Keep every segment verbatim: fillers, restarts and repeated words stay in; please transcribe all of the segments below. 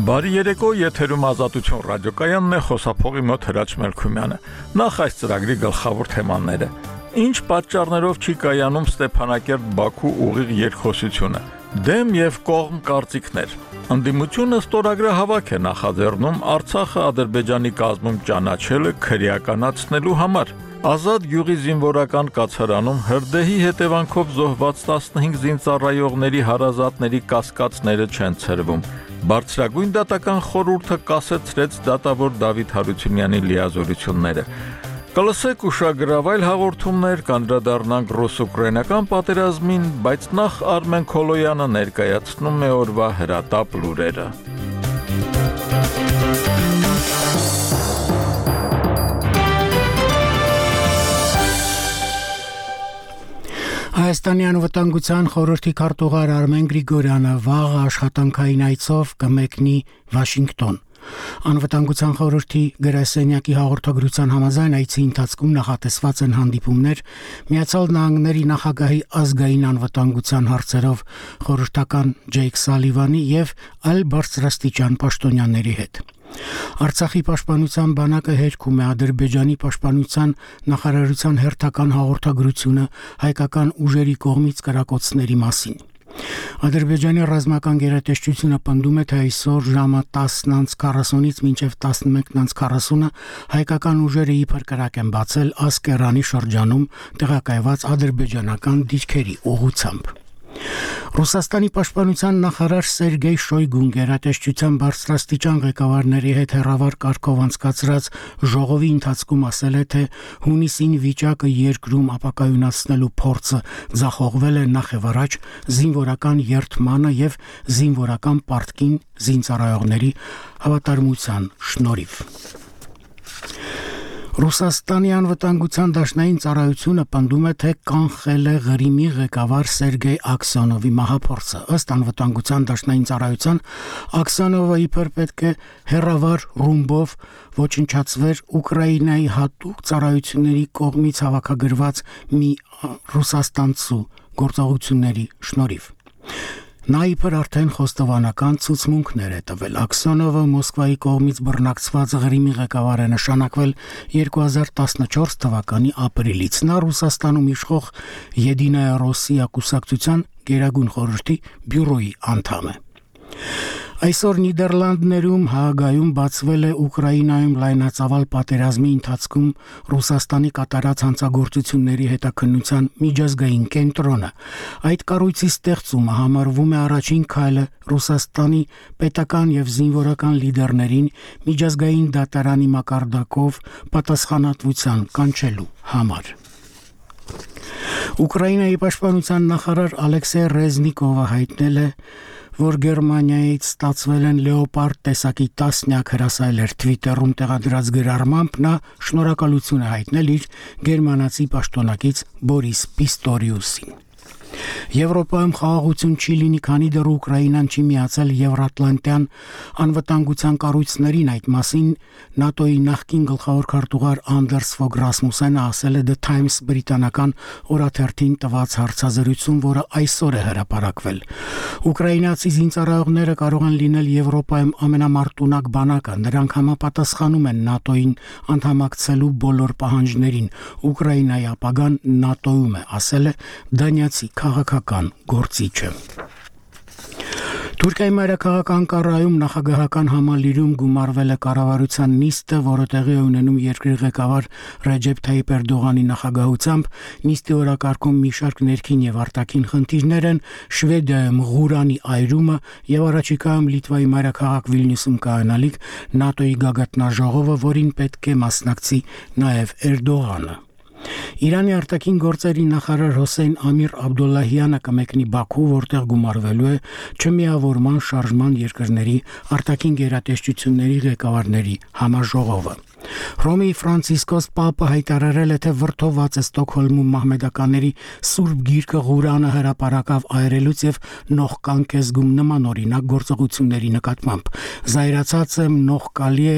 Բարի երեկո, եթերում Ազատություն ռադիոկայանն է, խոսափողի մոտ Հրաչ Մելքումյանը։ Նախ այս ծրագրի գլխավոր թեմաները։ Ինչ պատճառներով չի կայանում Ստեփանակերտ-Բաքու ուղիղ երկխոսությունը։ Դեմ եւ կողմ կարծիքներ։ Ընդդիմությունը ստորագրահավաք է նախաձեռնում Արցախը Ադրբեջանի կազմում ճանաչելը քրեականացնելու համար։ Ազատ գյուղի զինվորական կացարանում հրդեհի հետևանքով զոհված տասնհինգ զինծառայողների հարազատների կասկածները չեն ցրվում։ Բարձրագույն դատական խորհուրդը կասեցրեց դատավոր Դավիթ Հարությունյանի լիազորությունները։ Կլսեք ուշագրավայր հաղորդումներ, կանդրադառնանք ռուս-ուկրաինական պատերազմին, բայց նախ Արմեն Քոլոյանը ներկայացնում է օրվա հրատապ լուրերը։ Հայաստանի անվտանգության խորհրդի քարտուղար Արմեն Գրիգորյանը վաղ աշխատանքային այցով կմեկնի Վաշինգտոն։ Անվտանգության խորհրդի գրասենյակի հաղորդագրության համաձայն այցի ընթացքում նախատեսված են հանդիպումներ Միացյալ Նահանգների նախագահի ազգային անվտանգության հարցերով խորհրդական Ջեյք Սալիվանի եւ այլ բարձրաստիճան պաշտոնյաների հետ։ Արցախի պաշտպանության բանակը հերքում է Ադրբեջանի պաշտպանության նախարարության հերթական հաղորդագրությունը հայկական ուժերի կողմից կրակոցների մասին։ Ադրբեջանի ռազմական գերատեսչությունը պնդում է, թե այսօր ժամը տասն քառասունից մինչև տասնմեկ քառասունը հայկական ուժերը իբր կրակ են բացել Ասկերանի շրջանում տեղակայված ադրբեջանական դիրքերի ուղղությամբ։ Ռուսաստանի պաշտպանության նախարար Սերգեյ Շոյգուն գերատեսչության բարձրաստիճան ղեկավարների հետ հեռավար կարգով անցկացրած ժողովի ընթացքում ասել է, թե հունիսին վիճակը երկրում ապակայունացնելու փորձը ձախողվել է նախ եւ առաջ զինվորական երթմանը եւ զինվորական պարտքին զինծառայողների հավատարմության շնորհիվ։ Ռուսաստանի անվտանգության դաշնային ծառայությունը պնդում է, թե կանխել է Ղրիմի ղեկավար Սերգեյ Աքսյոնովի մահափորձը։ Ըստ անվտանգության դաշնային ծառայության Աքսյոնովը իբր պետք է հերավար ռումբով ոչնչացվեր Ուկրաինայի հատուկ ծառայությունների կողմից հավաքագրված մի ռուսաստանցու գործողությունների շնորհիվ։ Նա իբր արդեն խոստովանական ցուցմունքներ է տվել։ Աքսյոնովը Մոսկվայի կողմից բռնակցված Ղրիմի ղեկավար է նշանակվել երկու հազար տասնչորս թվականի ապրիլից։ Նա Ռուսաստանում իշխող Եդինայա Ռոսիա կուսակցության գերագույն խորհրդի բյուրոյի անդամ է։ Այսօր Նիդերլանդներում Հաագայում բացվել է Ուկրաինայում լայնածավալ պատերազմի ընթացքում Ռուսաստանի կատարած հանցագործությունների հետաքննության միջազգային կենտրոնը։ Այդ կառույցի ստեղծումը համարվում է առաջին քայլը Ռուսաստանի պետական եւ զինվորական լիդերներին միջազգային դատարանի մակարդակով պատասխանատվության կանչելու համար։ Ուկրաինայի պաշտպանության նախարար Ալեքսեյ Ռեզնիկովը հայտնել է, որ Գերմանիայից ստացվել են լեոպարդ տեսակի տասնյակ հրասայլեր Twitter-ում տեղադրած գրառմամբ նա շնորհակալություն է հայտնել իր գերմանացի պաշտոնակից Բորիս Պիստորիուսին։ Եվրոպայում խաղաղություն չի լինի, քանի դեռ Ուկրաինան չի միացել Եվրատլանտյան անվտանգության կառույցներին։ Այդ մասին ՆԱՏՕ-ի նախկին գլխավոր քարտուղար Անդերս Ֆոգ Ռասմուսենը ասել է The Times բրիտանական օրաթերթին տված հարցազրույցում, որը այսօր է հրապարակվել։ Ուկրաինացի զինծառայողները կարող են լինել Եվրոպայում ամենամարտունակ բանակը։ Նրանք համապատասխանում են ՆԱՏՕ-ին անդամակցելու բոլոր պահանջներին։ Ուկրաինայի ապագան ՆԱՏՕ-ում է, ասել է դանիացի քաղաքական գործիչը։ Թուրքիայի մայրաքաղաք Անկարայում նախագահական համալիրում գումարվել է կառավարության նիստը, որը տեղի է ունենում երկրի ղեկավար Ռեջեփ Թայիփ Էրդողանի նախագահությամբ։ Նիստի օրակարգում մի շարք ներքին եւ արտաքին խնդիրներ են՝ Շվեդիայում Ղուրանի այրումը եւ առաջիկայում Լիտվայի մայրաքաղաք Վիլնյուսում կայանալիք ՆԱՏՕ-ի գագաթնաժողովը, որին պետք է մասնակցի նաեւ Էրդողանը։ Իրանի արտաքին գործերի նախարար Հոսեյն Ամիր Աբդոլլահյանը կմեկնի Բաքու, որտեղ գումարվելու է չմիավորման շարժման երկրների արտաքին գերատեսչությունների ղեկավարների համաժողովը։ Հռոմի Ֆրանցիսկոս Պապը հայտարարել է, թե վրդովված է Ստոկհոլմում մահմեդականների Սուրբ Գիրքը Ղուրանը հրապարակավ այրելուց եւ նողկանք է զգում նմանօրինակ գործողությունների նկատմամբ։ Զայրացած եմ, նողկալի է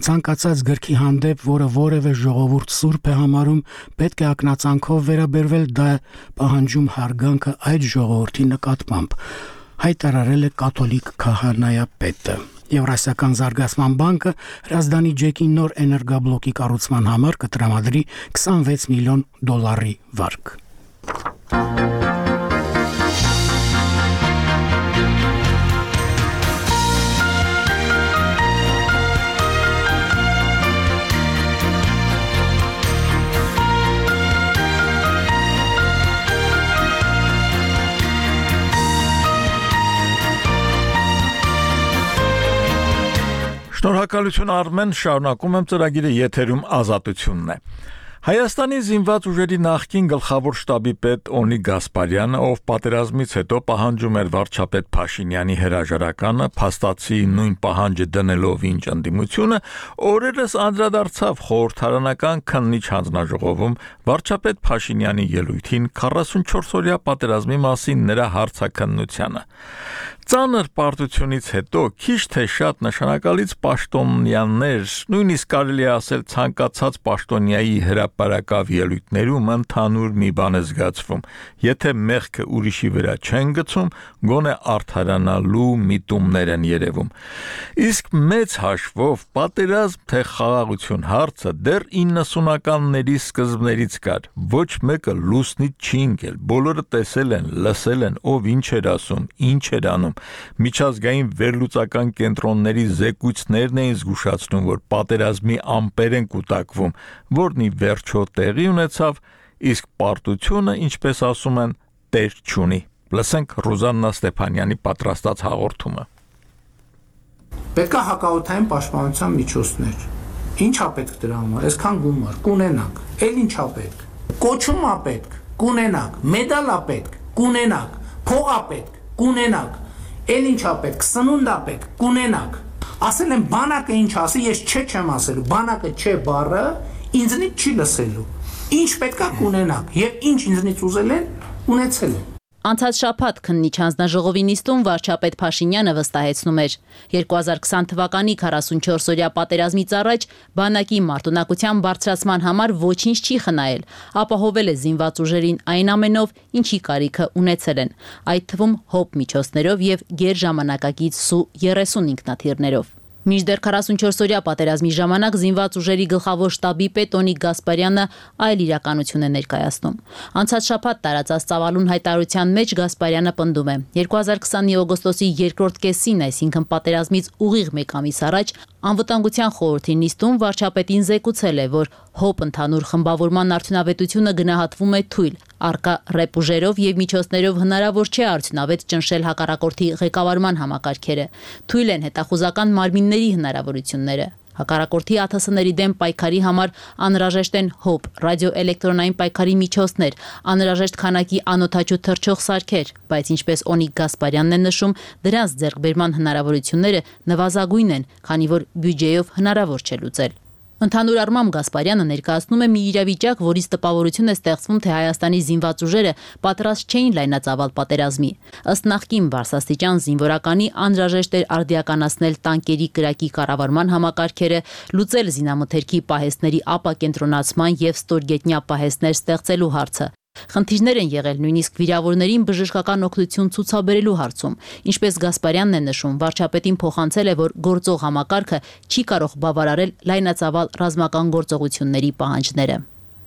ցանկացած գրքի հանդեպ, որը որևէ ժողովուրդ սուրբ է համարում, պետք է ակնածանքով վերաբերվել, դա պահանջում հարգանքը այդ ժողովրդի նկատմամբ։ հայտարարել է կաթոլիկ քահանայապետը։ Եվրասիական զարգացման բանկը Հրազդանի ջեկի նոր էներգաբլոկի կառուցման համար կտրամադրի քսանվեց միլիոն դոլարի վարկ։ Շնորհակալություն Արմեն, շարունակում եմ ծրագիրը, եթերում Ազատությունն է։ Հայաստանի զինված ուժերի նախկին գլխավոր շտաբի պետ Օնի Գասպարյանը, ով պատերազմից հետո պահանջում էր վարչապետ Փաշինյանի հրաժարականը, փաստացի նույն պահանջը դնելով ինչ ընդդիմությունը, օրերս անդրադարձավ խորհրդարանական քննիչ հանձնաժողովում վարչապետ Փաշինյանի ելույթին քառասունչորս-օրյա պատերազմի մասին նրա հարցաքննությանը։ Ծանր պարտությունից հետո քիչ թե շատ նշանակալից պաշտոնյաներ, նույնիսկ կարելի է ասել ցանկացած պաշտոնյայի հրապարակավ ելույթներում ընդհանուր մի բան է զգացվում. եթե մեղքը ուրիշի վրա չեն գցում, գոնե արդարանալու միտումներ են երևում։ Իսկ մեծ հաշվով պատերազմ թե խաղաղություն հարցը դեռ իննսունականների սկզբներից կար։ Ոչ մեկը լուսնից չի ընկել, բոլորը տեսել են, լսել են, ով ինչ էր ասում, ինչ էր անում։ Միջազգային վերլուծական կենտրոնների զեկույցներն էին զգուշացնում, որ պատերազմի ամպեր են կուտակվում, որն ի վերջո տեղի ունեցավ, իսկ պարտությունը, ինչպես ասում են, տեր չունի։ Լսենք Ռուզաննա Ստեփանյանի պատրաստած հաղորդումը։ Պետք է հակաօդային պաշտպանության միջոցներ։ Ինչ է պետք դրա համար? Այսքան գումար կունենանք, էլ ինչ է պետք։ Կոչում է պետք, կունենանք, մեդալ է պետք, կունենանք, փող է պետք, կունենանք։ Էլ ինչ է պետք, սնունդ է պետք, կունենանք։ Ասել են բանակը ինչ ասի, ես չէ չեմ ասելու, բանակը չէ բառը ինձնից չի լսելու։ Ինչ պետք է կունենանք եւ ինչ ինձնից ուզել են, ունեցել են։ Անցած շաբաթ քննիչ հանձնաժողովի նիստում վարչապետ Փաշինյանը վստահեցնում էր. երկու հազար քսան թվականի քառասունչորս-օրյա պատերազմից առաջ բանակի մարտունակության բարձրացման համար ոչինչ չի խնայել, ապահովել է զինված ուժերին այն ամենով, ինչի կարիքը ունեցել են, այդ թվում հոբ միջոցներով եւ գերժամանակակից Սու երեսուն ինքնաթիռներով։ Մինչդեռ քառասունչորս-օրյա պատերազմի ժամանակ զինված ուժերի գլխավոր շտաբի պետ Օնիկ Գասպարյանը այլ իրականություն է ներկայացնում։ Անցած շաբաթ տարածած ծավալուն հայտարարության մեջ Գասպարյանը պնդում է. երկու հազար քսանի օգոստոսի երկրորդ կեսին, այսինքն պատերազմից ուղիղ մեկ ամիս առաջ, Անվտանգության խորհրդի նիստում վարչապետին զեկուցել է, որ հոբ ընդհանուր խմբավորման արդյունավետությունը գնահատվում է թույլ, առկա ռեպուժերով եւ միջոցներով հնարավոր չէ արդյունավետ ճնշել հակառակորդի ղեկավարման համակարգերը, թույլ են հետախուզական մարմինների հնարավորությունները։ Հակառակորդի ԱԹՍ-ների դեմ պայքարի համար անհրաժեշտ են հոբ, ռադիոէլեկտրոնային պայքարի միջոցներ, անհրաժեշտ քանակի անօդաչու թռչող սարքեր, բայց ինչպես Օնիկ Գասպարյանն է նշում, դրանց ձեռքբերման հնարավորությունները նվազագույն են, քանի որ բյուջեով հնարավոր չէ լուծել։ Ընդհանուր առմամբ Գասպարյանը ներկայացնում է մի իրավիճակ, որից տպավորություն է ստեղծվում, թե Հայաստանի զինված ուժերը պատրաստ չէին լայնածավալ պատերազմի։ Ըստ նախկին բարձրաստիճան զինվորականի անհրաժեշտ էր արդիականացնել տանկերի կրակի կառավարման համակարգերը, լուծել զինամթերքի պահեստների ապակենտրոնացման եւ ստորգետնյա պահեստներ ստեղծելու հարցը։ Խնդիրներ են եղել նույնիսկ վիրավորներին բժշկական օգնություն ցուցաբերելու հարցում։ Ինչպես Գասպարյանն է նշում, վարչապետին փոխանցել է, որ գործող համակարգը չի կարող բավարարել լայնածավալ ռազմական գործողությունների պահանջները։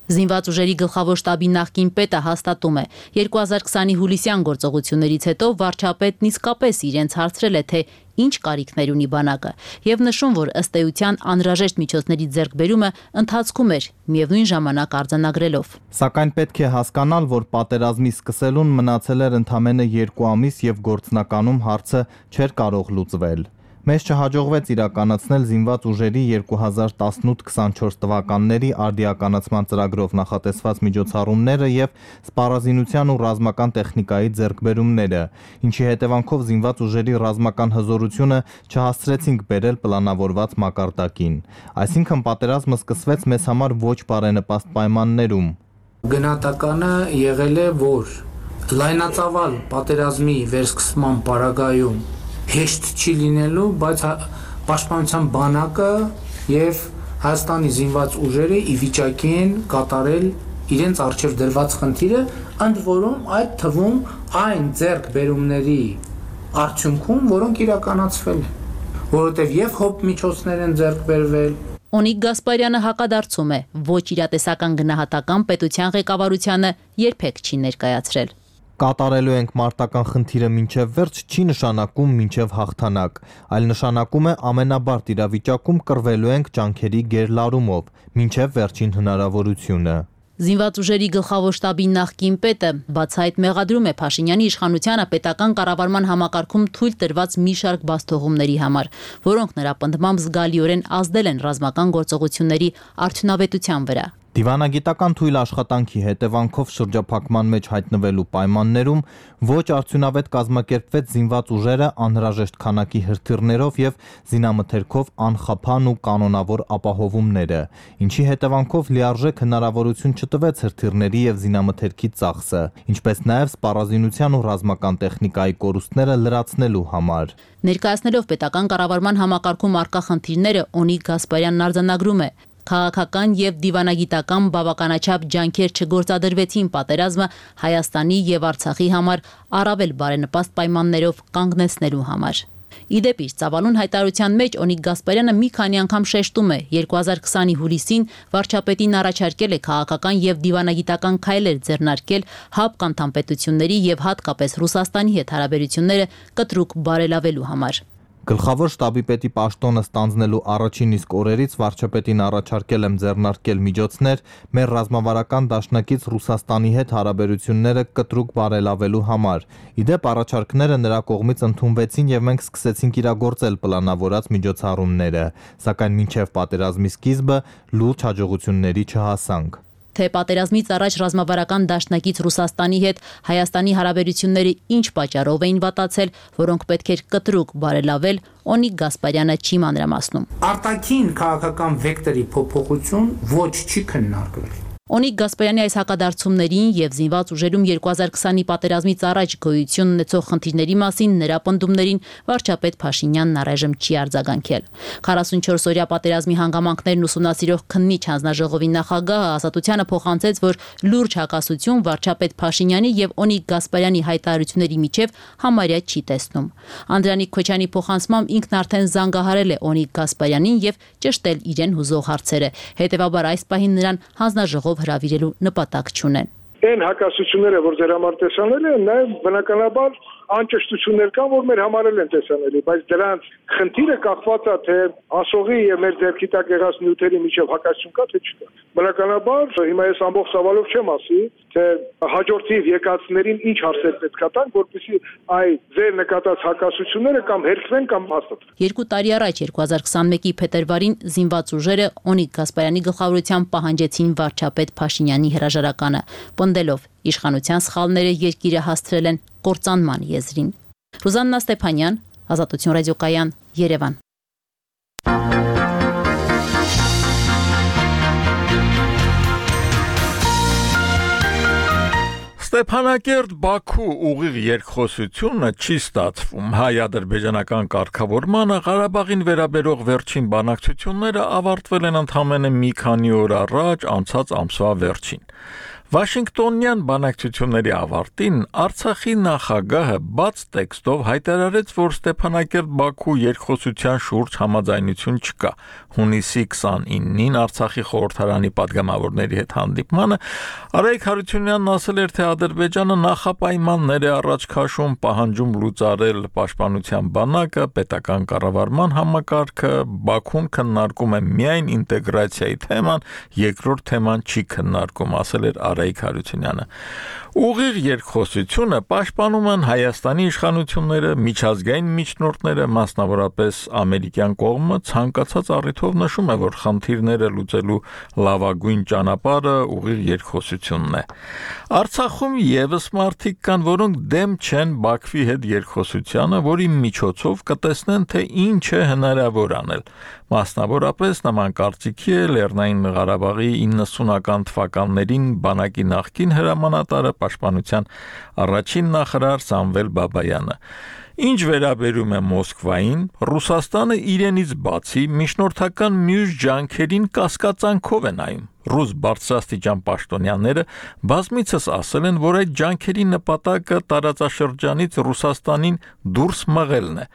Զինված ուժերի գլխավոր շտաբի նախկին պետը հաստատում է. երկու հազար քսանի հուլիսյան գործողություններից հետո վարչապետն իսկապես իրենց հարցրել է, թե ինչ կարիքներ ունի բանակը, եւ նշում, որ ըստ էության անհրաժեշտ միջոցների ձեռքբերումը ընթացքում էր, միևնույն ժամանակ արձանագրելով. Սակայն պետք է հասկանալ, որ պատերազմի սկսելուն մնացել էր ընդամենը երկու ամիս եւ գործնականում հարցը չէր կարող լուծվել։ Մեզ չհաջողվեց իրականացնել զինված ուժերի երկու հազար տասնութ քսանչորս թվականների արդիականացման ծրագրով նախատեսված միջոցառումները եւ սպառազինության ու ռազմական տեխնիկայի ձեռքբերումները, ինչի հետևանքով զինված ուժերի ռազմական հզորությունը չհասցրեցինք բերել պլանավորված մակարդակին։ Այսինքն պատերազմը սկսվեց մեզ համար ոչ բարենպաստ պայմաններում։ Գնահատականը եղել է, որ լայնածավալ պատերազմի վերսկսման պարագայում հեշտ չի լինելու, բայց պաշտպանության բանակը եւ Հայաստանի զինված ուժերը ի վիճակի են կատարել իրենց առջև դրված խնդիրը, ընդ որում այդ թվում այն ձեռքբերումների արդյունքում, որոնք իրականացվել են, որովհետև եւ հոբ միջոցներ են ձեռք բերվել։ Օնիկ Գասպարյանը հակադարձում է, ոչ իրատեսական գնահատական պետության ղեկավարությանը երբեք չի ներկայացրել։ Կատարելու ենք մարտական խնդիրը մինչև վերջ չի նշանակում մինչև հաղթանակ, այլ նշանակում է ամենաբարդ իրավիճակում կռվելու ենք ջանքերի գերլարումով, մինչև վերջին հնարավորությունը։ Զինված ուժերի գլխավոր շտաբի նախկին պետը բացահայտ մեղադրում է Փաշինյանի իշխանությանը պետական կառավարման համակարգում թույլ տրված մի շարք բացթողումների համար, որոնք նրա պնդմամբ զգալիորեն ազդել են ռազմական գործողությունների արդյունավետության վրա։ Դիվանագիտական թույլ աշխատանքի հետևանքով շրջափակման մեջ հայտնվելու պայմաններում ոչ արդյունավետ կազմակերպվեց զինված ուժերը անհրաժեշտ քանակի հրթիռներով եւ զինամթերքով անխափան ու կանոնավոր ապահովումները, ինչի հետևանքով լիարժեք հնարավորություն չտվեց հրթիռների եւ զինամթերքի ծախսը, ինչպես նաեւ սպառազինության ու ռազմական տեխնիկայի կորուստները լրացնելու համար։ Ներկայացնելով պետական կառավարման համակարգում առկա խնդիրները, Օնիկ Գասպարյանն արձանագրում է. Քաղաքական եւ դիվանագիտական բավականաչափ ջանքեր չգործադրվեցին պատերազմը Հայաստանի եւ Արցախի համար առավել բարենպաստ պայմաններով կանգնեցնելու համար։ Իդեպ իր ծավալուն հայտարարության մեջ Օնիկ Գասպարյանը մի քանի անգամ շեշտում է երկու հազար քսանի հուլիսին վարչապետին առաջարկել է քաղաքական եւ դիվանագիտական քայլեր ձեռնարկել հապկ անդամ պետությունների եւ հատկապես Ռուսաստանի հետ հարաբերությունները կտրուկ բարելավելու համար։ Գլխավոր շտաբի պետի պաշտոնը ստանձնելու առաջին իսկ օրերից վարչապետին առաջարկել եմ ձեռնարկել միջոցներ մեր ռազմավարական դաշնակից Ռուսաստանի հետ հարաբերությունները կտրուկ բարելավելու համար։ Իդեպ առաջարկները նրա կողմից ընդունվեցին եւ մենք սկսեցինք իրագործել պլանավորած միջոցառումները, սակայն մինչեւ պատերազմի սկիզբը լուրջ հաջողությունների չհասանք։ Թե պատերազմից առաջ ռազմավարական դաշնակից Ռուսաստանի հետ Հայաստանի հարաբերությունները ինչ պատճառով էին վատացել, որոնք պետք էր կտրուկ բարելավել, Օնիկ Գասպարյանը չի մանրամասնում։ Արտաքին քաղաքական վեկտորի փոփոխություն ոչ չի քննարկվել։ Օնիկ Գասպարյանի այս հակադարձումներին եւ զինված ուժերում երկու հազար քսանի պատերազմից առաջ գոյություն ունեցող խնդիրների մասին նրա պնդումներին վարչապետ Փաշինյանն առայժմ չի արձագանքել։ քառասունչորս օրյա պատերազմի հանգամանքներն ուսումնասիրող քննիչ հանձնաժողովի նախագահը Ազատությանը փոխանցեց, որ լուրջ հակասություն վարչապետ Փաշինյանի եւ Օնիկ Գասպարյանի հայտարարությունների միջև համարյա չի տեսնում։ Անդրանիկ Քոչյանի փոխանցմամբ ինքն արդեն զանգահարել է Օնիկ Գասպարյանին եւ ճշտել իրեն հուզող հարցերը։ Հետևաբար այս պահին նրան հանձնաժողով հրավիրելու նպատակ չունեն։ Այն հակասությունները, որ ձեր համար տեսանելի են, նաև բնականաբար անճշտություններ կան, որ մեր համար են տեսանելի, բայց դրանց խնդիրը կախված է թե ասողի եւ մեր ձեռքի տակ եղած նյութերի միջև հակասություն կա թե չկա։ Բնականաբար հիմա ես ամբողջ ծավալով չեմ ասի, թե հաջորդիվ եկածներին ինչ հարցեր պետք է տան, որպեսզի այ ձեր նկատած հակասությունները կամ հերքվեն կամ հաստատվեն։ Երկու տարի առաջ երկու հազար քսանմեկի փետրվարին զինված ուժերը Օնիկ Գասպարյանի գլխավորությամբ պահանջեցին վարչապետ Փաշինյանի հրաժարականը, պնդելով իշխանության սխալները երկիրը հասցրել են կործանման եզրին։ Ռուզաննա Ստեփանյան, Ազատություն ռադիոկայան, Երևան։ Ստեփանակերտ-Բաքու ուղիղ երկխոսությունը չի ստացվում։ Հայ-ադրբեջանական կարգավորմանը Ղարաբաղին վերաբերող վերջին բանակցությունները ավարտվել են ընդամենը մի քանի օր առաջ, անցած ամսվա վերջին։ Վաշինգտոնյան բանակցությունների ավարտին Արցախի նախագահը բաց տեքստով հայտարարեց, որ Ստեփանակերտ-Բաքու երկխոսության շուրջ համաձայնություն չկա։ Հունիսի քսանինին Արցախի խորհրդարանի падգամավորների հետ հանդիպմանը Արայիկ Հարությունյանն ասել էր, թե Ադրբեջանը նախապայմաններ է առաջ քաշում, պահանջում լուծարել պաշտպանության բանակը, պետական կառավարման համակարգը, Բաքուն քննարկում է միայն ինտեգրացիայի թեման, երկրորդ թեման չի քննարկում, ասել էր Արայիկ Հարությունյանը։ Ուղիղ երկխոսությունը պաշտպանում են Հայաստանի իշխանությունները, միջազգային միջնորդները, մասնավորապես ամերիկյան կողմը ցանկացած առիթով նշում է, որ խնդիրները լուծելու լավագույն ճանապարհը ուղիղ երկխոսությունն է։ Արցախում եւս մարդիկ կան, որոնք դեմ չեն Բաքվի հետ երկխոսությանը, որի միջոցով կտեսնեն, թե ինչ է հնարավոր անել։ Մասնավորապես նման կարծիքի է Լեռնային Ղարաբաղի իննսունական թվականներին բանակի նախկին հրամանատարը պաշտպանության առաջին նախարար Սամվել Բաբայանը։ Ինչ վերաբերում է Մոսկվային, Ռուսաստանը իրենից բացի միջնորդական մյուս ջանքերին կասկածանքով է նայում։ Ռուս բարձրաստիճան պաշտոնյաները բազմիցս ասել են, որ այդ ջանքերի նպատակը տարածաշրջանից Ռուսաստանին դուրս մղելն է։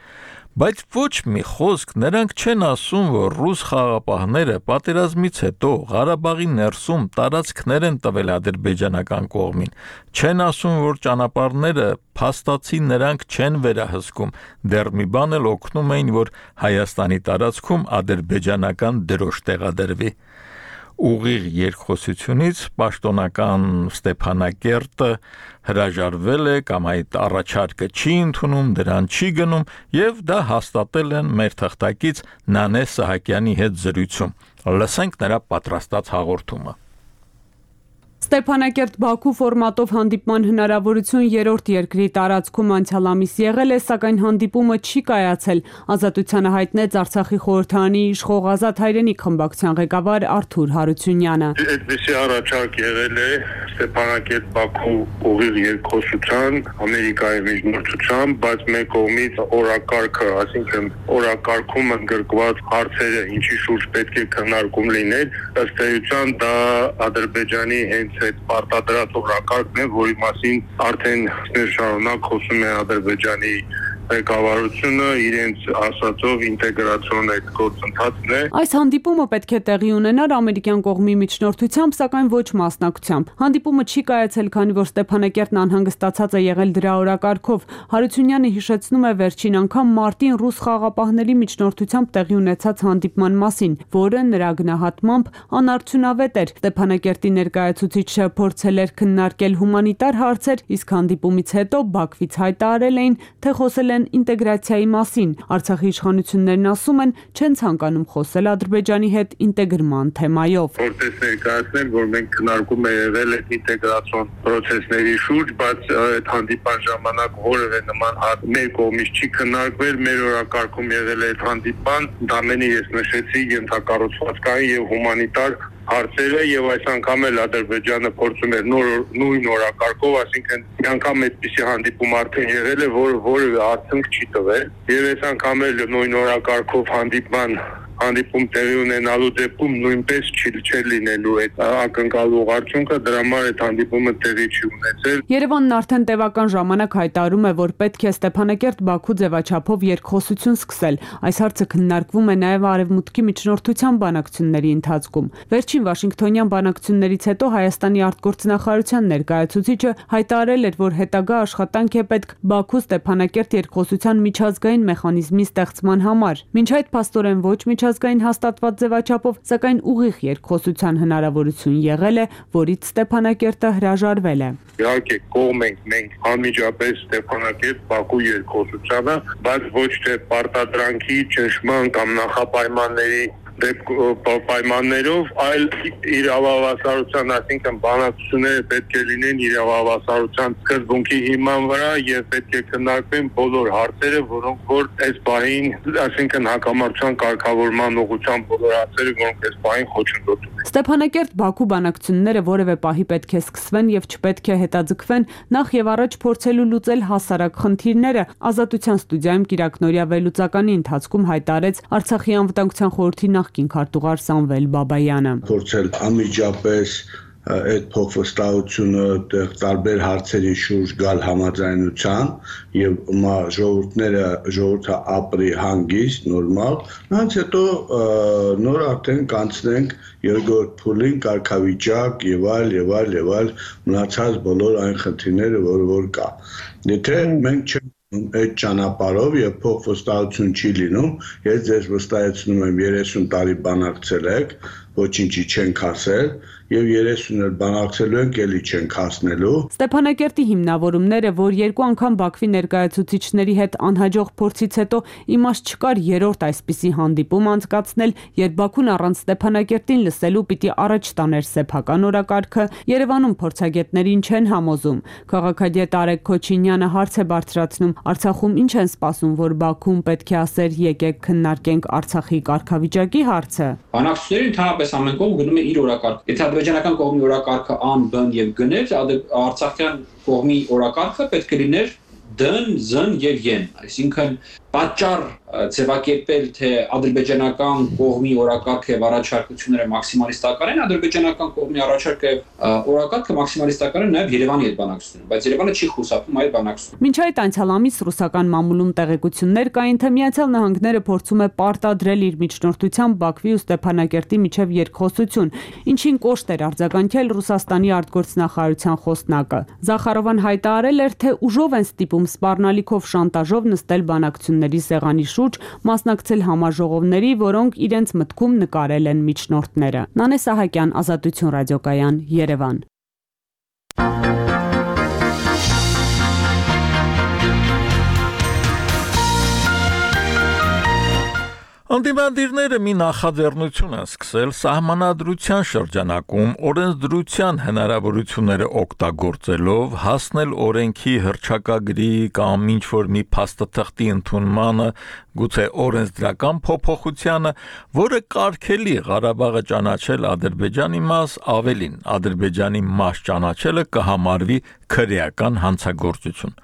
Բայց ոչ մի խոսք նրանք չեն ասում, որ ռուս խաղապահները պատերազմից հետո Ղարաբաղի ներսում տարածքներ են տվել ադրբեջանական կողմին, չեն ասում, որ ճանապարհները փաստացի նրանք չեն վերահսկում, դեռ մի բան էլ օգնում էին, որ Հայաստանի տարածքում ադրբեջանական դրոշ տեղադրվի։ Ուղիղ երկխոսությունից պաշտոնական Ստեփանակերտը հրաժարվել է կամ այդ առաջարկը չի ընդունում, դրան չի գնում եւ դա հաստատել են մեր թղթակից Նանե Սահակյանի հետ զրույցում։ Լսենք նրա պատրաստած հաղորդումը։ Ստեփանակերտ-Բաքու ֆորմատով հանդիպման հնարավորություն երրորդ երկրի տարածքում անցյալ ամիս եղել է, սակայն հանդիպումը չի կայացել, ազատությանը հայտնեց Արցախի խորհրդարանի իշխող Ազատ հայրենիք խմբակցության ղեկավար Արթուր Հարությունյանը։ Այդպիսի առաջարկ եղել է Ստեփանակերտ-Բաքու ուղիղ երկխոսության, Ամերիկայի միջնորդությամբ, բայց մեկ կողմից օրակարգը, այսինքն օրակարգում ընդգրկված հարցերը, ինչի շուրջ պետք է քննարկում լիներ, ըստ էության դա Ադրբեջանի հենց այդ պարտադրած օրակարգն է, որի մասին արդեն շարունակ խոսում է Ադրբեջանի ղեկավարությունը իրենց ասածով ինտեգրացիոն այդ գործընթացն է։ Այս հանդիպումը պետք է տեղի ունենար ամերիկյան կողմի միջնորդությամբ, սակայն ոչ մասնակցությամբ։ Հանդիպումը չի կայացել, քանի որ Ստեփանակերտն անհանգստացած է եղել դրա օրակարգով։ Հարությունյանը հիշեցնում է վերջին անգամ մարտին ռուս խաղապահների միջնորդությամբ տեղի ունեցած հանդիպման մասին, որը նրա գնահատմամբ անարդյունավետ էր։ Ստեփանակերտի ներկայացուցիչը փորձել էր քննարկել հումանիտար հարցեր, իսկ հանդիպումից հետո Բաքվից հայտարարել էին, թե խոսել են ինտեգրացիայի մասին։ Արցախի իշխանություններն ասում են, չեն ցանկանում խոսել Ադրբեջանի հետ ինտեգրման թեմայով։ Որպես ներկայացնել, որ մենք քննարկում ենք եղել այդ ինտեգրացիոն process-ների շուրջ, բայց այդ հանդիպան ժամանակ որևէ նման հարց մեր կողմից չի քննարկվել, մեր օրակարգում եղել է այդ հանդիպան, դա մենի ես նշեցի ենթակառուցվածքային եւ հումանիտար հարցերը եւ այս անգամ էլ Ադրբեջանը փորձում էր նոր նույն օրակարգով, այսինքն մի անգամ այդպիսի հանդիպում արդեն եղել է, որ որևէ արդյունք չի տվել եւ այս անգամ էլ նույն օրակարգով հանդիպման հանդիպում տեղի ունենալու դեպքում նույնպես չի չէ լինելու այդ ակնկալող արդյունքը, դրա համար այդ հանդիպումը տեղի չի ունեցել։ Երևանն արդեն տևական ժամանակ հայտարարում է, որ պետք է Ստեփանակերտ-Բաքու ձևաչափով երկխոսություն սկսել։ Այս հարցը քննարկվում է նաև Արևմուտքի միջնորդության բանակցությունների ընթացքում։ Վերջին Վաշինգտոնյան բանակցություններից հետո Հայաստանի արտգործնախարարության ներկայացուցիչը հայտարարել էր, որ հետագա աշխատանք է պետք Բաքու-Ստեփանակերտ երկխոսության միջազգային մեխանիզմի ստեղծման համար։ Մինչ այդ փաստորեն ոչ միջազգային հաստատված ձևաչափով, սակայն ուղիղ երկխոսության հնարավորություն եղել է, որից Ստեփանակերտը հրաժարվել է։ Իհարկե կողմ ենք մենք անմիջապես Ստեփանակերտ-Բաքու երկխոսությանը, բայց ոչ թե պարտադրանքի ճնշման կամ նախապայմանների պայմաններով, այլ իրավավասարության, այսինքն բանակցությունները պետք է լինեն իրավավասարության սկզբունքի հիման վրա եւ պետք է քննարկվեն բոլոր հարցերը, որոնք որ այս պահին, այսինքն հակամարտության կարգավորման ուղղությամբ բոլոր հարցերը, որոնք այս պահին խոչընդոտում են։ Ստեփանակերտ-Բաքու բանակցությունները որևէ պահի պետք է սկսվեն եւ չպետք է հետաձգվեն, նախ եւ առաջ փորձելու լուծել հասարակ խնդիրները, Ազատության ստուդիայում Կիրակնորիա վերլուծականի ընթացքում հայտարարեց Արցախի անվտանգության խորհրդի նախկին քարտուղար Սամվել Բաբայանը։ Փորձել անմիջապես այդ փոխվստահությունը տարբեր հարցերի շուրջ գալ համաձայնության եւ ժողովուրդները ժողովուրդը ապրի հանգիստ նորմալ, նրանց հետո նոր արդեն կանցնենք երկրորդ փուլին կարգավիճակ եւ այլ եւ այլ եւ այլ մնացած բոլոր այն խնդիրները, որ որ կա։ Եթե մենք չենք այդ ճանապարհով եւ փոխվստահություն չի լինում, ես ձեզ վստահեցնում եմ երեսուն տարի բանակցել եք, ոչինչի չենք ասել եւ երեսուն էլ բանակցելու ենք, էլի չենք հասնելու։ Ստեփանակերտի հիմնավորումները, որ երկու անգամ Բաքվի ներկայացուցիչների հետ անհաջող փորձից հետո իմաստ չկար երրորդ այսպիսի հանդիպում անցկացնել, երբ Բաքուն առանց Ստեփանակերտին լսելու պիտի առաջ տաներ սեփական օրակարգը, Երևանում փորձագետներին չեն համոզում։ Քաղաքագետ Արեգ Քոչինյանը հարց է բարձրացնում, Արցախում ինչ են սպասում, որ Բաքուն պետք է ասեր եկեք քննարկենք Արցախի կարգավիճակի հարցը։ Բանակցությունները ընդհանրապես ամեն կողմ գնում է իր օրակարգ։ Եթե ադրբեջանական կողմի օրակարգը ան, բն եւ գներ, արցախյան կողմի օրակարգը պետք է լիներ դն, զն եւ են, այսինքն պատճառ ձևակերպել, թե ադրբեջանական կողմի օրակարգը եւ առաջարկությունները մաքսիմալիստական են, ադրբեջանական կողմի առաջարկը օրակարգը մաքսիմալիստական է նաեւ Երևանի հետ բանակցությունը, բայց Երևանը չի խուսափում այդ բանակցությունը։ Մինչ այդ անցյալ ամիս ռուսական մամուլում տեղեկություններ կային, թե Միացյալ Նահանգները փորձում է պարտադրել իր միջնորդությամբ Բաքվի ու Ստեփանակերտի միջև երկխոսություն, ինչին կոշտ էր արձագանքել Ռուսաստանի արտգործնախարարության խոսնակը։ Զախարովան հայտարարել էր, թե ուժով են ստիպում սպառնալիքով շանտաժով նստել բանակցությունների սեղանի շուրջ, մասնակցել համաժողովների, որոնք իրենց մտքում նկարել են միջնորդները։ Նանե Սահակյան, Ազատություն ռադիոկայան, Երևան։ Անդիմադիրները մի նախաձեռնություն են սկսել սահմանադրության շրջանակում օրենսդրության հնարավորությունները օգտագործելով հասնել օրենքի հռչակագրի կամ ինչ-որ մի փաստաթղթի ընդունմանը, գուցե օրենսդրական փոփոխությանը, որը կարգելի Ղարաբաղը ճանաչել Ադրբեջանի մաս, ավելին Ադրբեջանի մաս ճանաչելը կհամարվի քրեական հանցագործություն։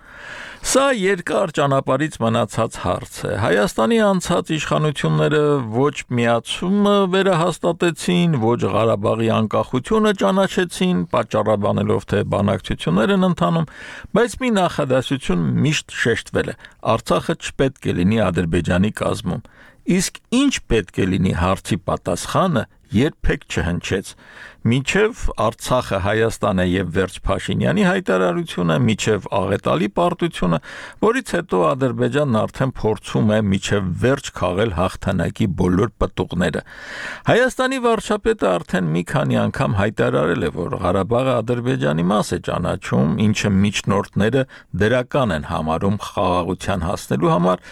Սա երկար ճանապարհից մնացած հարց է։ Հայաստանի անցած իշխանությունները ոչ միացումը վերահաստատեցին, ոչ Ղարաբաղի անկախությունը ճանաչեցին, պատճառաբանելով, թե բանակցություններ են ընթանում, բայց մի նախադասություն միշտ շեշտվել է. Արցախը չպետք է լինի Ադրբեջանի կազմում։ Իսկ ինչ պետք է լինի հարցի պատասխանը երբեք չհնչեց։ Մինչև Արցախը Հայաստան է եւ վերջ Փաշինյանի հայտարարությունը, մինչև Աղետալի պարտությունը, որից հետո Ադրբեջանն արդեն փորձում է մինչև վերջ քաղել հաղթանակի բոլոր պտուղները։ Հայաստանի վարչապետը արդեն մի քանի անգամ հայտարարել է, որ Ղարաբաղը Ադրբեջանի մաս է ճանաչում, ինչը միջնորդները դրական են համարում խաղաղության հասնելու համար,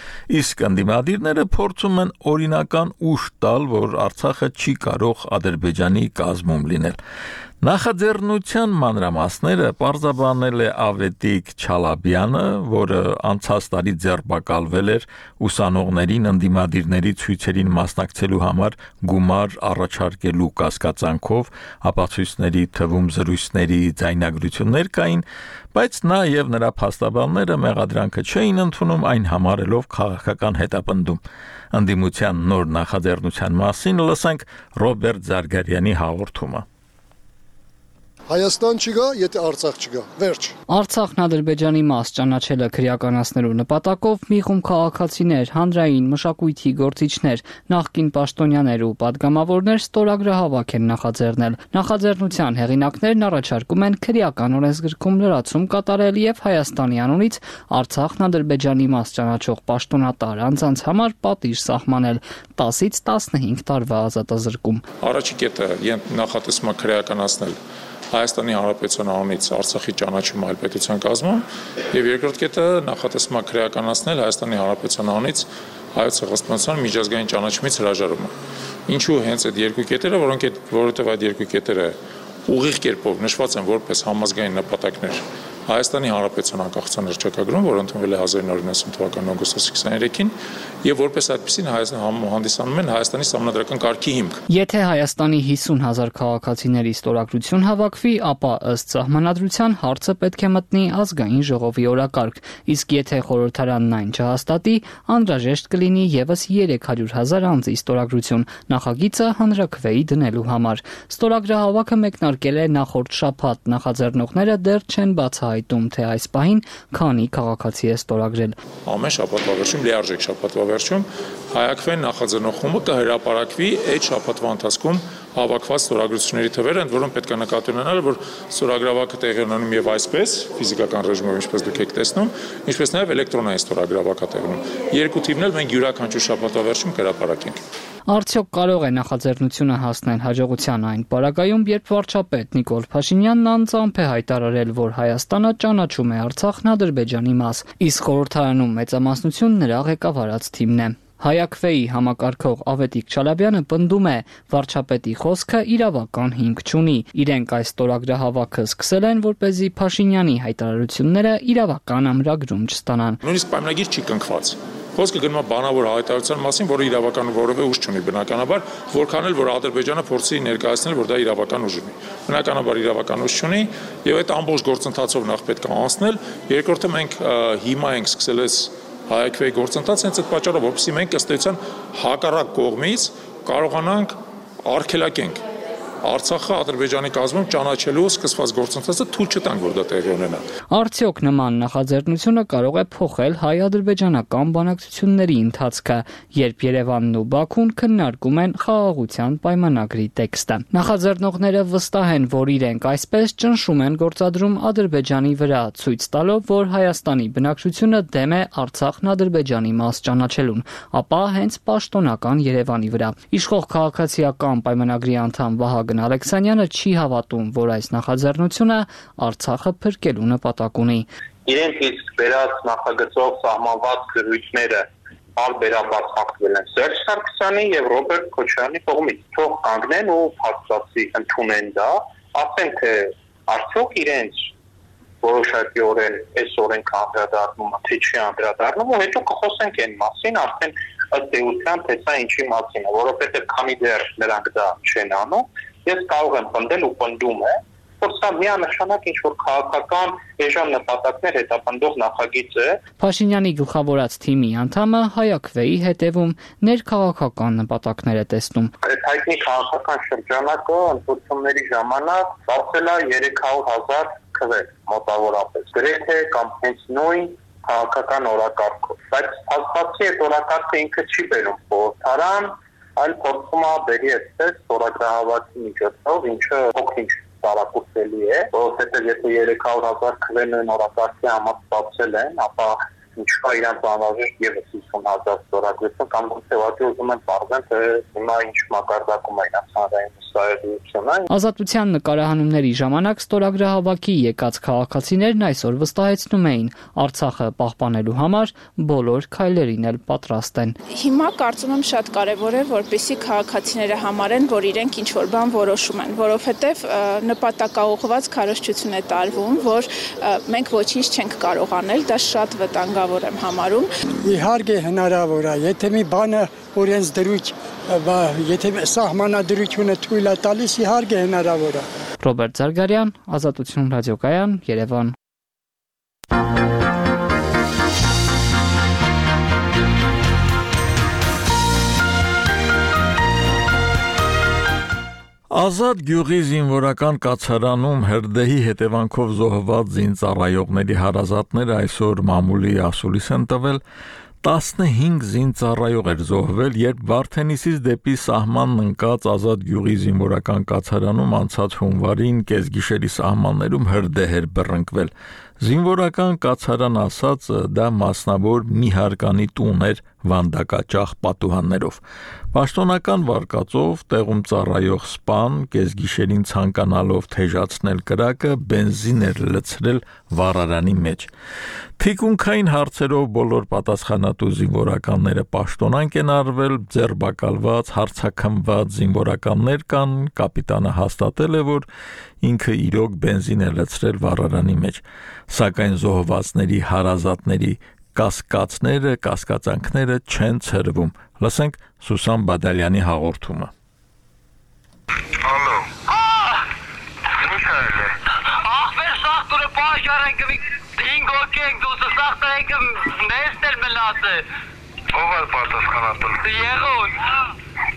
իսկ ընդդիմադիրները փորձում են օրինական ուժ տալ, որ Արցախը չի կարող Ադրբեջանի կազմում լինել։ Նախաձեռնության մանրամասները պարզաբանել է Ավետիք Չալաբյանը, որը անցած տարի ձերբակալվել էր ուսանողներին ընդդիմադիրների ցույցերին մասնակցելու համար գումար առաջարկելու կասկածանքով, ապացույցների թվում զրույցների ձայնագրություններ կային, բայց նա եւ նրա փաստաբանները մեղադրանքը չէին ընդունում, այն համարելով քաղաքական հետապնդում։ Ընդդիմության նոր նախաձեռնության մասին լսենք Ռոբերտ Զարգարյանի հաղորդումը։ Հայաստան չգա, եթե Արցախ չգա։ Վերջ։ Արցախն Ադրբեջանի մաս ճանաչելը քրեականացնելու նպատակով մի խումբ քաղաքացիներ, հանրային մշակույթի գործիչներ, նախկին պաշտոնյաներ ու падգամավորներ ստորագրահավաք են նախաձեռնել։ Նախաձեռնության հեղինակներն առաջարկում են քրեական օրենսգրքում լրացում կատարել եւ Հայաստանի անունից Արցախն Ադրբեջանի մաս ճանաչող պաշտոնատար անձանց համար պատիժ սահմանել տասից տասնհինգ տարվա ազատազրկում։ Առաջի կետը նախատեսում է քրեականացնել Հայաստանի Հանրապետության անունից Արցախի ճանաչումը այլ պետության կազմում եւ երկրորդ կետը նախատեսում է քրեականացնել Հայաստանի Հանրապետության անունից Հայոց Ցեղասպանության միջազգային ճանաչումից հրաժարումը։ Ինչու հենց այդ երկու կետերը, որոնք որովհետեւ այդ երկու կետերը ուղիղ կերպով նշված են որպես համազգային նպատակներ Հայաստանի Հանրապետության անկախության հռչակագրում, որը ընդունվել է հազար նորը իննսուն թվականի օգոստոսի քսաներեքին, եւ որպես այդպեսին հանդիսանում են Հայաստանի սահմանադրական կարգի հիմք։ Եթե Հայաստանի հիսուն հազար քաղաքացիների ստորագրություն հավաքվի, ապա ըստ սահմանադրության հարցը պետք է մտնի ազգային ժողովի օրակարգ, իսկ եթե խորհրդարանն այն չհաստատի, անհրաժեշտ կլինի եւս երեք հարյուր հազար անձի ստորագրություն նախագիծը հանրաքվեի դնելու համար։ Ստորագրահավաքը մեկնարկել է նախորդ շաբաթ, նախաձեռնողները դեռ չեն բացահայտում, թե այս պահին քանի քաղաքացի է ստորագրել։ Ամեն շաբաթվա վերջում, լիարժեք շաբաթվա վերջում հայաքվեն նախաձեռնող խումբը կհրապարակվի այդ շաբաթվա ընթացքում հավաքված ստորագրությունների թվերը, ընդ որում պետք է նկատի ունենալ, որ ստորագրավակը տեղի ունենում եւ այսպես ֆիզիկական ռեժիմով, ինչպես դուք եք տեսնում, ինչպես նաեւ էլեկտրոնային ստորագրավակը տեղի ունենում։ Երկու թիվն էլ մենք յուրաքանչյուր շաբաթվա վերջում կհրապարակենք։ Արդյոք կարող է նախաձեռնությունը հասնել հաջողության այն պարագայում, երբ վարչապետ Նիկոլ Փաշինյանն անձամբ է հայտարարել, որ Հայաստանը ճանաչում է Արցախն Ադրբեջանի մաս, իսկ խորհրդարանում մեծամասնություն նրա ղեկավարած թիմն է։ Հայաքվեի համակարգող Ավետիք Չալաբյանը պնդում է, վարչապետի խոսքը իրավական հիմք չունի։ Իրենք այս ստորագրահավաքը սկսել են, որպեսզի Փաշինյանի հայտարարությունները իրավական ամրագրում չստանան։ Նույնիսկ պայմանագիր չի կնքված։ Խոսքը գնում է բանավոր հայտարարության մասին, որը իրավական որևէ ուժ չունի բնականաբար, որքան էլ որ Ադրբեջանը փորձի ներկայացնել, որ դա իրավական ուժ ունի։ Բնականաբար իրավական ուժ չունի, եւ այդ ամբողջ գործընթացով նախ պետք է անցնել։ Երկրորդը մենք հիմա ենք սկսել այս հայակվեի գործընթացը հենց այդ պատճառով, որպեսզի մենք ըստ էության հակառակ կողմից կարողանանք արգելակենք Արցախը Ադրբեջանի կազմում ճանաչելու սկսված գործընթացը թույլ չտանք, որ դա տեղի ունենա։ Արդյոք նման նախաձեռնությունը կարող է փոխել հայ-ադրբեջանական բանակցությունների ընթացքը, երբ Երևանն ու Բաքուն քննարկում են խաղաղության պայմանագրի տեքստը։ Նախաձեռնողները վստահ են, որ իրենք այսպես ճնշում են գործադրում Ադրբեջանի վրա, ցույց տալով, որ Հայաստանի բնակչությունը դեմ է Արցախն Ադրբեջանի մաս ճանաչելուն, ապա հենց պաշտոնական Երևանի վրա։ Իշխող քաղաքացիական պայմանագրի անդամ Վահագն Ալեքսանյանը չի հավատում, որ այս նախաձեռնությունը Արցախը փրկելու նպատակ ունի։ Իրենք իսկ վերած նախագծով սահմանված գրույթները բարբերաբար խախտվել են Սերժ Սարգսյանի եւ Ռոբերտ Քոչարյանի կողմից։ Թող կանգնեն ու փաստացի ընդունեն դա, ասեն թե արդյոք իրենց որոշակիորեն այս օրենքը անդրադառնում է, թե չի անդրադառնում, ու հետո կխոսենք այն մասին, արդեն ըստ էության թե սա ինչի մասին է, որովհետեւ քանի դեռ նրանք դա չեն անում, ես կարող եմ պնդել ու պնդում է, որ սա միանշանակ ինչ-որ քաղաքական էժան նպատակներ հետապնդող նախագիծ է։ Փաշինյանի գլխավորած թիմի անդամը հայակվեի հետևում ներքաղաքական նպատակներ է տեսնում։ Այդ հայտնի քաղաքական շրջանակը ընտրությունների ժամանակ ստացել է երեք հարյուր հազար քվեր մոտավորապես, գրեթե կամ հենց նույն քաղաքական օրակարգով։ Բայց հաստատի այդ օրակարգը ինքը չի բերում խորհրդարան, այլ փորձում է բերի այսպես ստորագրահավաքի միջոցով, ինչը փոքր-ինչ տարակուսելի է, որովհետև եթե երեք հարյուր հազար քվերն են օրակարգի համար ստացել են, ապա ինչքա իրանց անհրաժեշտ եւս հիսուն հազար ստորագրություն կամ գուցե ուզում են պարզեն, թե հիմա ինչ մակարդակում է իրանց հանրային վստահելիությունը։ Ազատության նկարահանումների ժամանակ ստորագրահավաքի եկած քաղաքացիներն այսօր վստահեցնում էին, Արցախը պահպանելու համար բոլոր քայլերին էլ պատրաստ են։ Հիմա կարծում եմ շատ կարևոր է, որպեսզի քաղաքացիները համարեն, որ իրենք ինչ որ բան որոշում են, որովհետև նպատակաուղղված քարոզչություն է տարվում, որ մենք ոչինչ չենք կարող անել, դա շատ վտանգավոր եմ համարում։ Իհարկե հնարավոր է, եթե մի բանը օրենս դրույթ, եթե սահմանադրությունը թույլ է տալիս, իհարկե հնարավոր է։ Ռոբերտ Զարգարյան, Ազատություն ռադիոկայան, Երևան։ Ազատ գյուղի զինվորական կացարանում հրդեհի հետևանքով զոհված զինծառայողների հարազատները այսօր մամուլի ասուլիս են տվել, տասնհինգ զինծառայող էր զոհվել, երբ Վարդենիսից դեպի սահմանն ընկած Ազատ գյուղի զինվորական կացարանում անցած հունվարին կեսգիշերի սահմաններում հրդեհ էր բռնկվել։ Զինվորական կացարան ասած դա մասնավոր մի հարկանի տուն էր վանդակաճախ պատուհաններով։ Պաշտոնական վարկածով տեղում ծառայող սպան կեսգիշերին ցանկանալով թեժացնել կրակը բենզին էր լցրել վառարանի մեջ։ Թիկունքային հարցերով բոլոր պատասխանատու զինվորականները պաշտոնանկ են արվել, ձերբակալված, հարցաքննված զինվորականներ կան, կապիտանը հաստատել է, որ ինքը իրոք բենզին է լցրել վառարանի մեջ, սակայն զոհվածների հարազատների կասկածները, կասկածանքները չեն ցրվում։ Լսենք Սուսան Բադալյանի հաղորդումը։ Ալո։ Ինչ է։ Ախվեր սախտուրը պաշարենք դինգ օքենք դուս սախտենք նեստել մլասը։ Ով է պատասխանատուն։ Եղուն։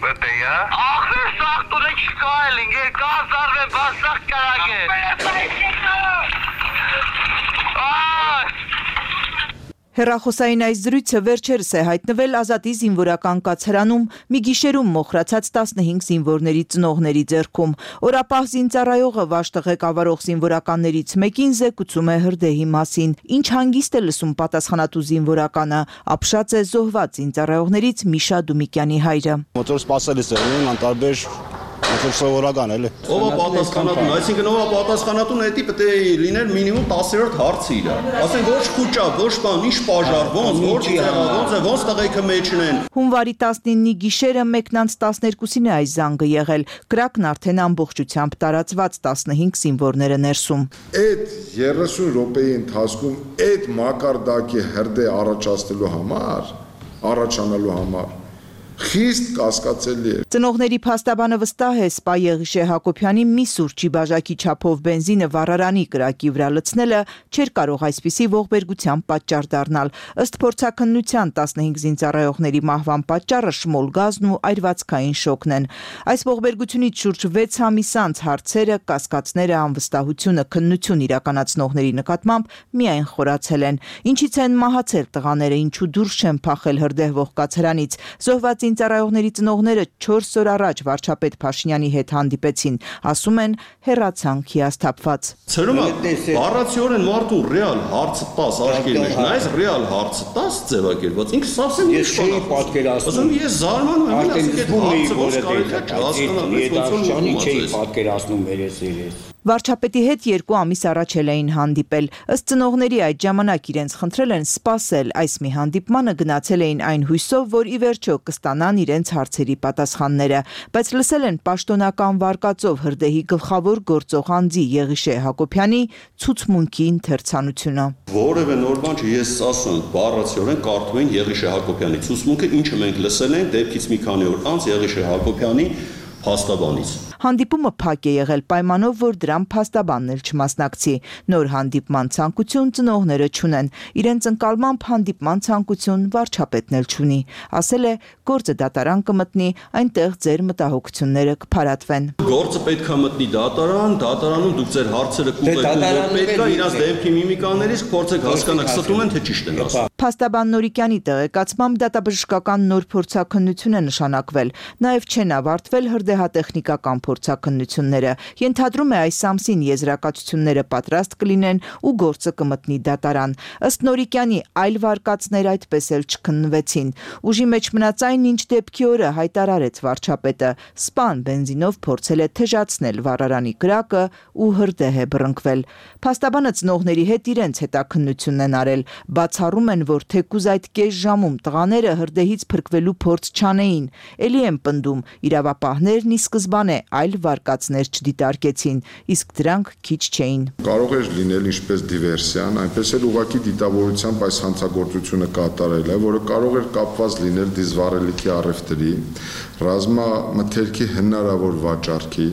Բետեյա։ Ախվեր սախտուրը չկայել ինգ կազարվե բասախ կարագե։ Հեռախոսային այս զրույցը վերջերս է հայտնվել Ազատի զինվորական կացարանում մի գիշերում մոխրացած տասնհինգ զինվորների ծնողների ձեռքում։ Օրապահ զինծառայողը վաշտը ղեկավարող զինվորականներից մեկին զեկուցում է հրդեհի մասին։ Ինչ հանգիստ է լսում պատասխանատու զինվորականը, ապշած է զոհված զինծառայողներից Միշա Դումիկյանի հայրը։ Մոտոր սպասելիս է, անտարբեր Ոնց սովորական էլի։ Ով է պատասխանատուն, այսինքն ով է պատասխանատուն, դա պետք է լիներ մինիմում տասներորդ հարցը իր։ Ասեն ոչ քուճա, ոչ բան, ինչ պաժար, ոնց, ոնց է, ոնց է, ոնց տղեկը մեջն են։ Հունվարի տասնինի գիշերը մեկն անց տասներկուսին է այս զանգը եղել։ Կրակն արդեն ամբողջությամբ տարածված տասնհինգ զինվորները ներսում։ Այդ երեսուն րոպեի ընթացքում այդ մակարդակի հրդեհ առաջացնելու համար առաջանալու համար խիստ կասկածելի է։ Ծնողների փաստաբանը վստահ է Սպա Եղիշե Հակոբյանի մի սուրճի բաժակի չափով բենզինը վառարանի կրակի վրա լցնելը չէր կարող այսպիսի ողբերգության պատճառ դառնալ։ Ըստ փորձաքննության տասնհինգ զինծառայողների մահվան պատճառը շմոլ գազն ու այրվածքային շոկն են։ Այս ողբերգությունից շուրջ վեց ամիս անց հարցերը, կասկածները, անվստահությունը, քննություն իրականացնողների նկատմամբ միայն խորացել են։ Ինչից են մահացել տղաները, ինչու դուրս չեն փախել հրդեհվող կացարանից։ Զոհված զինծառայողների ծնողները չորս օր առաջ վարչապետ Փաշինյանի հետ հանդիպեցին, ասում են հեռացանք հիասթափված։ Ցերում բառացիորեն մարդու ռեալ հարցը տաս աշկերտ մեջ, նայես ռեալ հարցը տաս ձևակերպված, ինքը սավսեն ես չէի պատկերացնում։ Ես զարմանում եմ, արդեն զգում էի, որ դա չէի պատկերացնում երես երես։ Վարչապետի հետ երկու ամիս առաջ էլ էին հանդիպել։ Ըստ ծնողների այդ ժամանակ իրենց խնդրել են սպասել, այս մի հանդիպմանը գնացել էին այն հույսով, որ ի վերջո կստանան իրենց հարցերի պատասխանները, բայց լսել են պաշտոնական վարկածով հրդեհի գլխավոր գործող անձի Եղիշե Հակոբյանի ցուցմունքի ընթերցանությունը։ Որևէ նոր բան չէ, ես ասում եմ, բառացիորեն կարդում են Եղիշե Հակոբյանի ցուցմունքը, ինչը մենք լսել ենք դեպքից մի քանի օր անց Եղիշե Հակոբյանի փաստաբանից։ Հանդիպումը փակ է եղել պայմանով, որ դրան փաստաբանն էլ չմասնակցի։ Նոր հանդիպման ցանկություն ծնողները չունեն։ Իրենց ընկալմամբ հանդիպման ցանկություն վարչապետն էլ չունի։ Ասել է, գործը դատարան կմտնի, այնտեղ ձեր մտահոգությունները կփարատվեն։ Գործը պետք է մտնի դատարան, դատարանում դուք ձեր հարցերը կուղեկցեք, պետք է իրաց դեմքի միմիկաներից փորձեք հասկանալ, ստում են թե ճիշտ են ասում։ Փաստաբան Նորիկյանի տեղեկացմամբ դատաբժշկական նոր փորձաքննություն է նշանակվել։ Նաև չեն ավարտվել հրդեհատեխնիկական փորձաքննությունները։ Ենթադրում է այս ամսին եզրակացությունները պատրաստ կլինեն ու գործը կմտնի դատարան։ Ըստ Նորիկյանի այլ վարկածներ այդպես էլ չքննվեցին։ Ուժի մեջ մնաց այն, ինչ դեպքի օրը հայտարարեց վարչապետը։ Սպան բենզինով փորձել է թեժացնել վառարանի կրակը ու հրդեհ է բռնկվել։ Փաստաբանը ծնողների հետ իրենց հետաքննությունն են արել։ Բացառում են, որ թեկուզ այդ կես ժամում տղաները հրդեհից փրկվելու փորձ չանեին։ Էլի են պնդում, իրավապահներն ի սկզբանե այլ վարկածներ չդիտարկեցին, իսկ դրանք քիչ չէին։ Կարող էր լինել ինչպես դիվերսիան, այնպես էլ ուղղակի դիտավորությամբ այս հանցագործությունը կատարել է, որը կարող էր կապված լինել դիզվառելիքի առևտրի, ռազմամթերքի հնարավոր վաճառքի,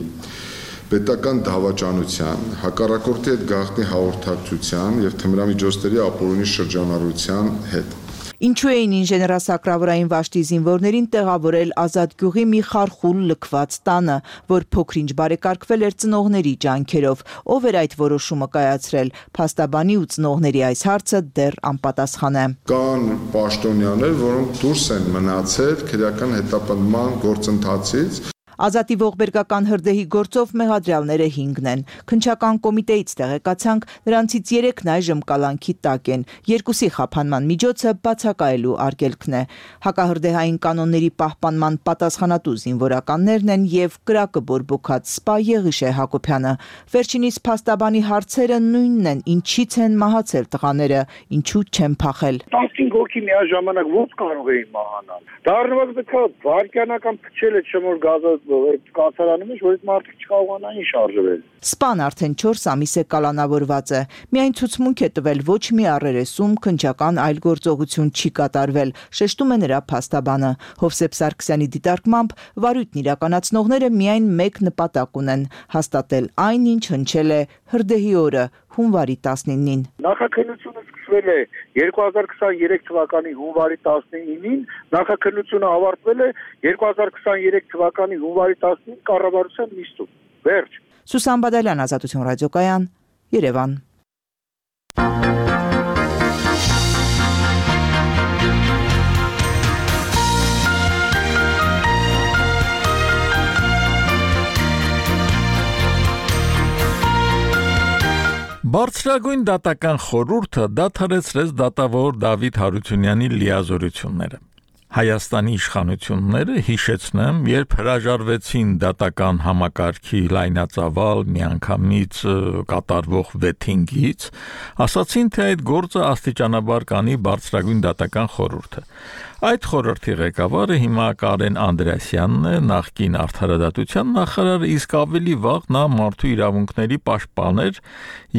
պետական դավաճանության, հակառակորդի հետ գաղտնի հաղորդակցության եւ թմրամիջոցների ապօրինի շրջանառության հետ։ Ինչու էին ինժեներասակրավորային վաշտի զինվորներին տեղավորել Ազատ գյուղի մի խարխուլ լքված տանը, որ փոքրինչ բարեկարգվել էր ծնողների ջանքերով, ով էր այդ որոշումը կայացրել։ Փաստաբանի ու ծնողների այս հարցը դեռ անպատասխան է։ Կան պաշտոնյաներ, որոնք դուրս են մնացել քրեական հետապնդման գործընթացից։ Ազատի ողբերգական հրդեհի գործով մեղադրյալները հինգն են։ Քննչական կոմիտեից տեղեկացանք, նրանցից երեքն այժմ կալանքի տակ են։ Երկուսի խափանման միջոցը բացակայելու արգելքն է։ Հակահրդեհային կանոնների պահպանման պատասխանատու զինվորականներն են եւ կրակը բորբոքած Սպա Եղիշե Հակոբյանը։ Վերջինիս փաստաբանի հարցերը նույնն են, ինչից են մահացել տղաները, ինչու չեն փախել։ տասնհինգ հոգի միաժամանակ ո՞նց կարող էին մահանալ։ Դառնված պետք է վարքյանական փչել է չմոր գազը կացարանում է, որ այդ մարդիկ չկարողանային շարժվել։ Սպան արդեն չորս ամիս է կալանավորված է։ Միայն ցուցմունք է տվել, ոչ մի առերեսում քննչական այլ գործողություն չի կատարվել, շեշտում է նրա փաստաբանը։ Հովսեփ Սարգսյանի դիտարկմամբ վարույթն իրականացնողները միայն մեկ նպատակ ունեն՝ հաստատել այն, ինչ հնչել է հրդեհի օրը, հունվարի տասնինին։ Նախաքննությունը սկսվել է երկու հազար քսաներեք թվականի հունվարի տասնինին, նախաքննությունը ավարտվել է երկու հազար քսաներեք թվականի հունվարի տասնինին կառավարության նիստում։ Վերջ։ Սուսան Բադալյան, Ազատություն ռադիոկայան, Երևան։ Բարձրագույն դատական խորհուրդը դադարեցրեց դատավոր Դավիթ Հարությունյանի լիազորությունները։ Հայաստանի իշխանությունները, հիշեցնեմ, երբ հրաժարվեցին դատական համակարգի լայնածավալ միանգամից կատարվող վեթինգից, ասացին, թե այդ գործը աստիճանաբար կանի բարձրագույն դատական խորհուրդը։ Այդ խորհրդի ղեկավարը հիմա Կարեն Անդրեասյանն է, նախկին արդարադատության նախարարը, իսկ ավելի վաղ նա մարդու իրավունքների պաշտպան էր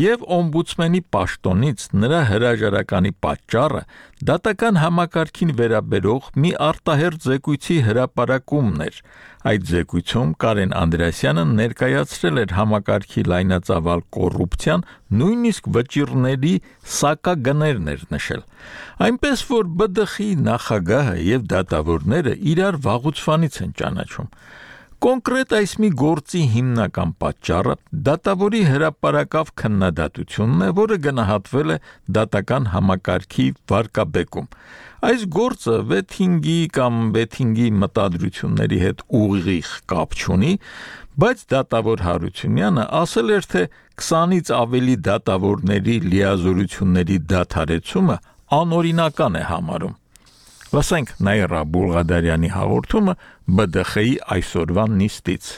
եւ օմբուդսմենի պաշտոնից նրա հրաժարականի պատճառը դատական համակարգին վերաբերող մի արտահերթ զեկույցի հրապարակումն էր։ Այդ զեկույցում Կարեն Անդրեասյանը ներկայացրել էր համակարգի լայնածավալ կոռուպցիան, նույնիսկ վճիռների սակագներն էր նշել։ Այնպես որ B D X-ի նախագահը եւ դատավորները իրար վաղուց են ճանաչում։ Կոնկրետ այս մի գործի հիմնական պատճառը դատավորի հրապարակավ քննադատությունն է, որը գնահատվել է դատական համակարգի վարկաբեկում։ Այս գործը վեթինգի կամ վեթինգի մտադրությունների հետ ուղիղ կապ չունի, բայց դատավոր Հարությունյանը ասել էր, թե քսանից ավելի դատավորների լիազորությունների դադարեցումը անօրինական է համարում։ Լսենք Նաիրա Բուլղադարյանի հաղորդումը B D X-ի այսօրվա նիստից։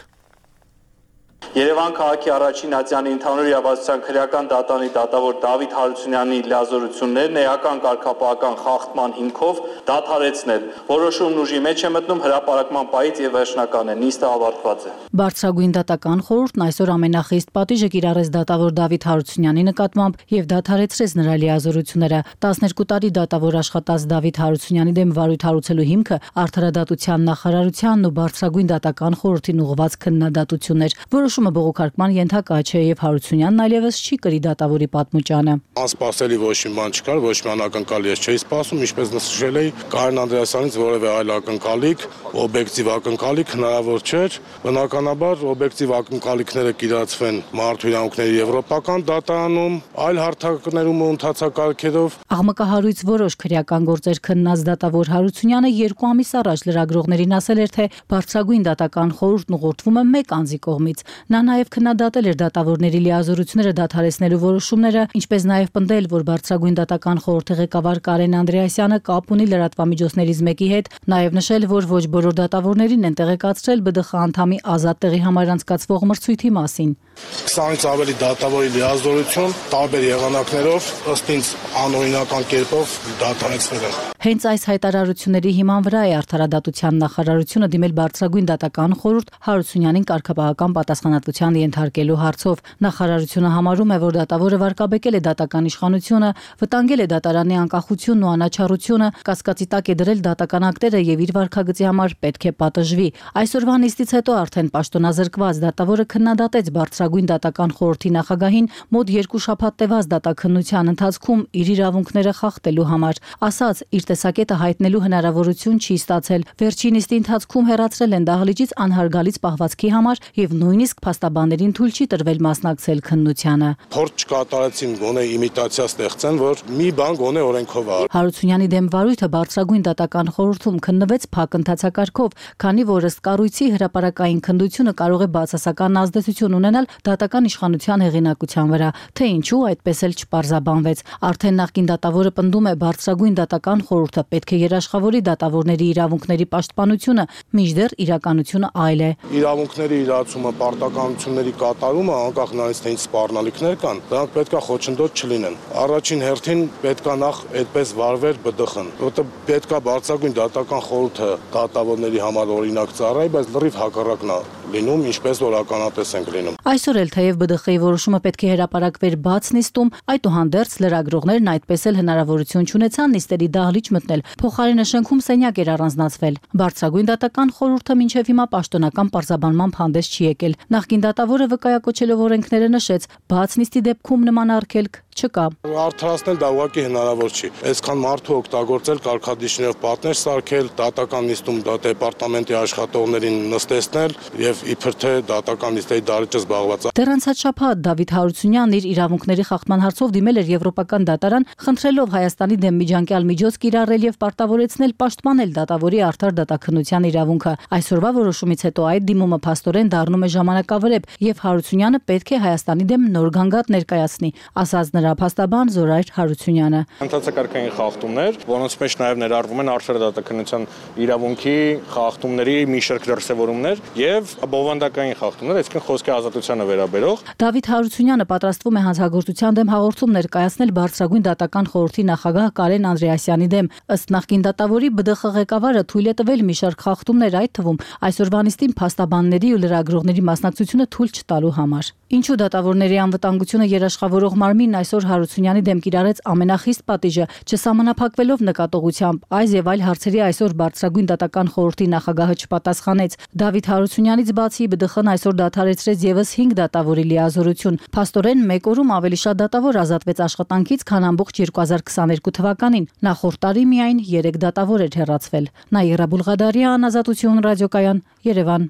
Երևան քաղաքի առաջին ատյանի ընդհանուր իրավասության քրեական դատանի դատավոր Դավիթ Հարությունյանի լիազորություններն էական կարգապահական խախտման հիմքով դադարեցնել։ Որոշումն ուժի մեջ է մտնում հրապարակման պահից եւ վերջնական է։ Նիստը ավարտված է։ Բարձրագույն դատական խորհուրդն այսօր ամենախիստ պատիժը կիրառեց դատավոր Դավիթ Հարությունյանի նկատմամբ եւ դադարեցրեց նրա լիազորությունները։ տասներկու տարի դատավոր աշխատած Դավիթ Հարությունյանի դեմ վարույթ հարուցելու հիմքը արդարադատության նախարարությանն ու բարձրագույն դատական խորհրդին ուղղված քննադատությունն էր։ Որոշումը բողոքարկման ենթակա չէ եւ Հարությունյանն այլևս չի կրի դատավորի պատմուճանը։ Անսպասելի ոչ մի բան չկար, ոչ մի անակնկալ ես չէի սպասում, ինչպես նշել էի, Կարեն Անդրեասյանից որևէ այլ ակնկալիք, օբյեկտիվ ակնկալիք հնարավոր չէր։ Բնականաբար օբյեկտիվ ակնկալիքները կիրացվեն մարդու իրավունքների եվրոպական դատարանում, այլ հարթակներում ու ընթացակարգերով։ Աղմկահարույց որոշ քրեական գործեր քննած դատավոր Հարությունյանը երկու ամիս առաջ լրագրողներին ասել էր, թե բարձրագույն դատական խորհուրդն ուղղորդվում է մեկ անձի կողմից։ Նա նաև քննադատել էր դատավորների լիազորությունները դադարեցնելու որոշումները, ինչպես նաև պնդել, որ բարձրագույն դատական խորհրդի ղեկավար Կարեն Անդրեասյանը կապ ունի լրատվամիջոցներից մեկի հետ, նաև նշել, որ ոչ բոլոր դատավորներին են տեղեկացրել B D X անդամի ազատ տեղի համար անցկացվող մրցույթի մասին։ քսանից ավելի դատավորի լիազորություն տարբեր եղանակներով ըստ ինձ անօրինական կերպով դադարեցվել են։ Հենց այս հայտարարությունների հիման վրա է արդարադատության նախարարությունը դիմել բարձրագույն դատական խորհուրդ Հարությունյանին կարգապահական պատասխանատվության ենթարկելու հարցով։ Նախարարությունը համարում է, որ դատավորը վարկաբեկել է դատական իշխանությունը, վտանգել է դատարանի անկախությունն ու անաչառությունը, կասկածի տակ է դրել դատական ակտերը եւ իր վարքագծի համար պետք է պատժվի։ Այսօրվա նիստից հետո արդեն պաշտոնազրկված դատավորը քննադատեց բարձրագույն դատական խորհրդի նախագահին մոտ երկու շաբաթ տևած դատաքննության ընթացքում իր իրավունքները խախտելու համար։ Ասաց, իր տեսակետը հայտնելու հնարավորություն չի ստացել։ Վերջին նիստի ընթացքում հեռացրել են դահլիճից անհարգալից պահվածքի համար եւ նույնիսկ փաստաբաններին թույլ չի տրվել մասնակցել քննությանը։ Փորձ չկատարեցին գոնե իմիտացիա ստեղծեն, որ մի բան գոնե օրենքով է։ Հարությունյանի դեմ վարույթը բարձրագույն դատական խորհրդում քննվեց փակ ընթացակարգով, քանի որ ըստ կառույցի հրապարակային քննությունը կարող է բացասական ազդեցություն ունենալ դատական իշխանության հեղինակության վրա, թե ինչու այդպես էլ չպարզաբանվեց։ Արդեն նախկին դատավորը պնդում է բարձրագույն դատական խորհուրդը պետք է երաշխավորի դատավորների իրավունքների պաշտպանությունը, մինչդեռ իրականությունը այլ է։ Իրավունքների իրացումը, պարտականությունների կատարումը, անկախ նրանից թե ինչ սպառնալիքներ կան, դրանք պետքա խոչընդոտ չլինեն։ Առաջին հերթին պետքա նախ այդպես վարվեր B D X-ն, որտեղ պետքա բարձրագույն դատական խորհուրդը դատավորների համար օրինակ ծառայի, բայց լրիվ հակառակն է լինում, ինչպես որ ականատես ենք լինում։ Այսօր էլ թեև B D X-ի որոշումը պետք է հրապարակվեր բաց նիստում, այդուհանդերձ լրագրողներն այդպես էլ հնարավորություն չունեցան նիստերի դահլիճ մտնել։ Փոխարենը շենքում սենյակ էր առանձնացվել։ Բարձրագույն դատական խորհուրդը մինչև հիմա պաշտոնական պարզաբանմամբ հանդես չի եկել։ Նախկին դատավորը վկայակոչելով օրենքները նշեց, բաց նիստի դեպքում նման արգելք չկա։ Արդարացնել դա ուղղակի հնարավոր չի։ Այսքան մարդու օգտագործել կարգադիշներով պատներ սարքել, դատական նիստում դեպարտամենտի աշխատողներին նստեցնել եւ իբր թե դատական նիստերի դահլիճը զբաղված է։ Դեռ անցած շաբաթ Դավիթ Հարությունյանն իր իրավունքների խախտման հարցով դիմել էր Եվրոպական դատարան, խնդրելով Հայաստանի դեմ միջանկյալ միջոց կիրառել եւ պարտավորեցնել պաշտպանել դատավորի արդար դատաքննության իրավունքը։ Այսօրվա որոշումից հետո այդ դիմումը փաստորեն դառնում է ժամանակավրեպ եւ Հարությունյանը պետք է Հայաստանի դեմ նոր գանգատ ներկայացնի, ասաց նրա դրափաստաբան Զորայր Հարությունյանը։ Հանցակարգային խախտումներ, որոնց մեջ նաև ներառվում են արդարադատականության իրավունքի խախտումների մի շարք դրսևորումներ եւ բովանդակային խախտումներ, այսինքն խոսքի ազատությանը վերաբերող։ Դավիթ Հարությունյանը պատրաստվում է հանցագործության դեմ հաղորդում ներկայացնել Բարձրագույն դատական խորհրդի նախագահ Կարեն Անդրեասյանի դեմ։ Ըստ նախկին դատավորի ԲԴԽ ղեկավարը թույլ է տվել մի շարք խախտումներ, այդ թվում այսօրվա նիստին փաստաբանների ու լրագրողների մասնակցությունը թույլ չտալու համար։ Ինչու դատավորների անվտանգությունը երաշխավորող մարմինն այսօր Հարությունյանի դեմ կիրառեց ամենախիստ պատիժը, չսահմանափակվելով նկատողությամբ, այս եւ այլ հարցերի այսօր Բարձրագույն դատական խորհրդի նախագահը չպատասխանեց։ Դավիթ Հարությունյանից բացի ԲԴԽ-ն այսօր դադարեցրեց եւս հինգ դատավորի լիազորություն։ Փաստորեն մեկ օրում ավելի շատ դատավոր ազատվեց աշխատանքից, քան ամբողջ երկու հազար քսաներկու թվականին։ Նախորդ տարի միայն երեք դատավոր էր հեռացվել։ Նաիրա Բուլղադարյան, Ազատություն ռադիոկայան, Երևան։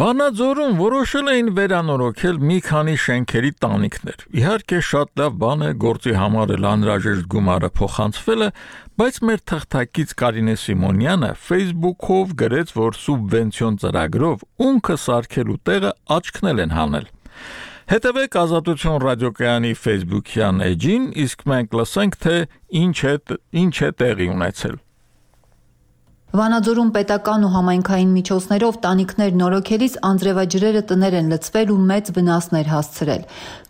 Վանաձորում որոշել էին վերանորոգել մի քանի շենքերի տանիքներ։ Իհարկե շատ լավ բան է, գործի համար էլ անհրաժեշտ գումարը փոխանցվել է, բայց մեր թղթակից Կարինե Սիմոնյանը Facebook-ով գրեց, որ սուբվենցիոն ծրագրով ունքը սարքելու տեղը աչքնել են հանել։ Հետևեք Ազատություն ռադիոկայանի Facebook-յան էջին, իսկ մենք լսենք, թե ինչ է, ինչ է տեղի ունեցել։ Վանաձորում պետական ու համայնքային միջոցներով տանիքներ նորոգելիս անձրևաջրերը տներ են լցվել ու մեծ վնասներ հասցրել։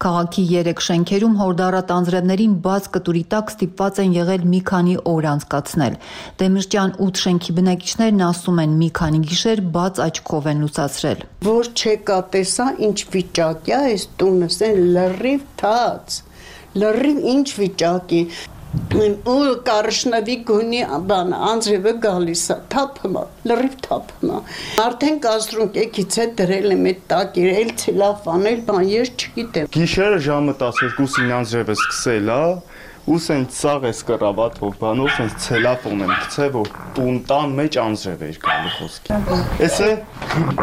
Քաղաքի երեք շենքերում հորդառատ անձրևներին բաց կտուրի տակ ստիպված են եղել մի քանի օր անցկացնել։ Դեմիրճյան ութ շենքի բնակիչներն ասում են, մի քանի գիշեր բաց աչքով են լուսացրել։ Որ չեկա տեսա ինչ վիճակ է այս տունը, սեն լրիվ թաց, լրիվ ինչ վիճակի։ Ու կարշնավի գունի բան անձրևը գալիս է, թափում է, լրիվ թափում է։ Արդեն կաստրում կեքից է դրել եմ այդ տակիր, էլ ցելավ անել, բան ես չգիտեմ։ Գիշերը ժամը տասներկուսին անձրևը սկսել է, ու սենց սաղ էս կռավաթով բանով սենց ցելաֆոն եմ գցել, որ տուն տան մեջ անձրև էր գալի խոսքի։ Էս է,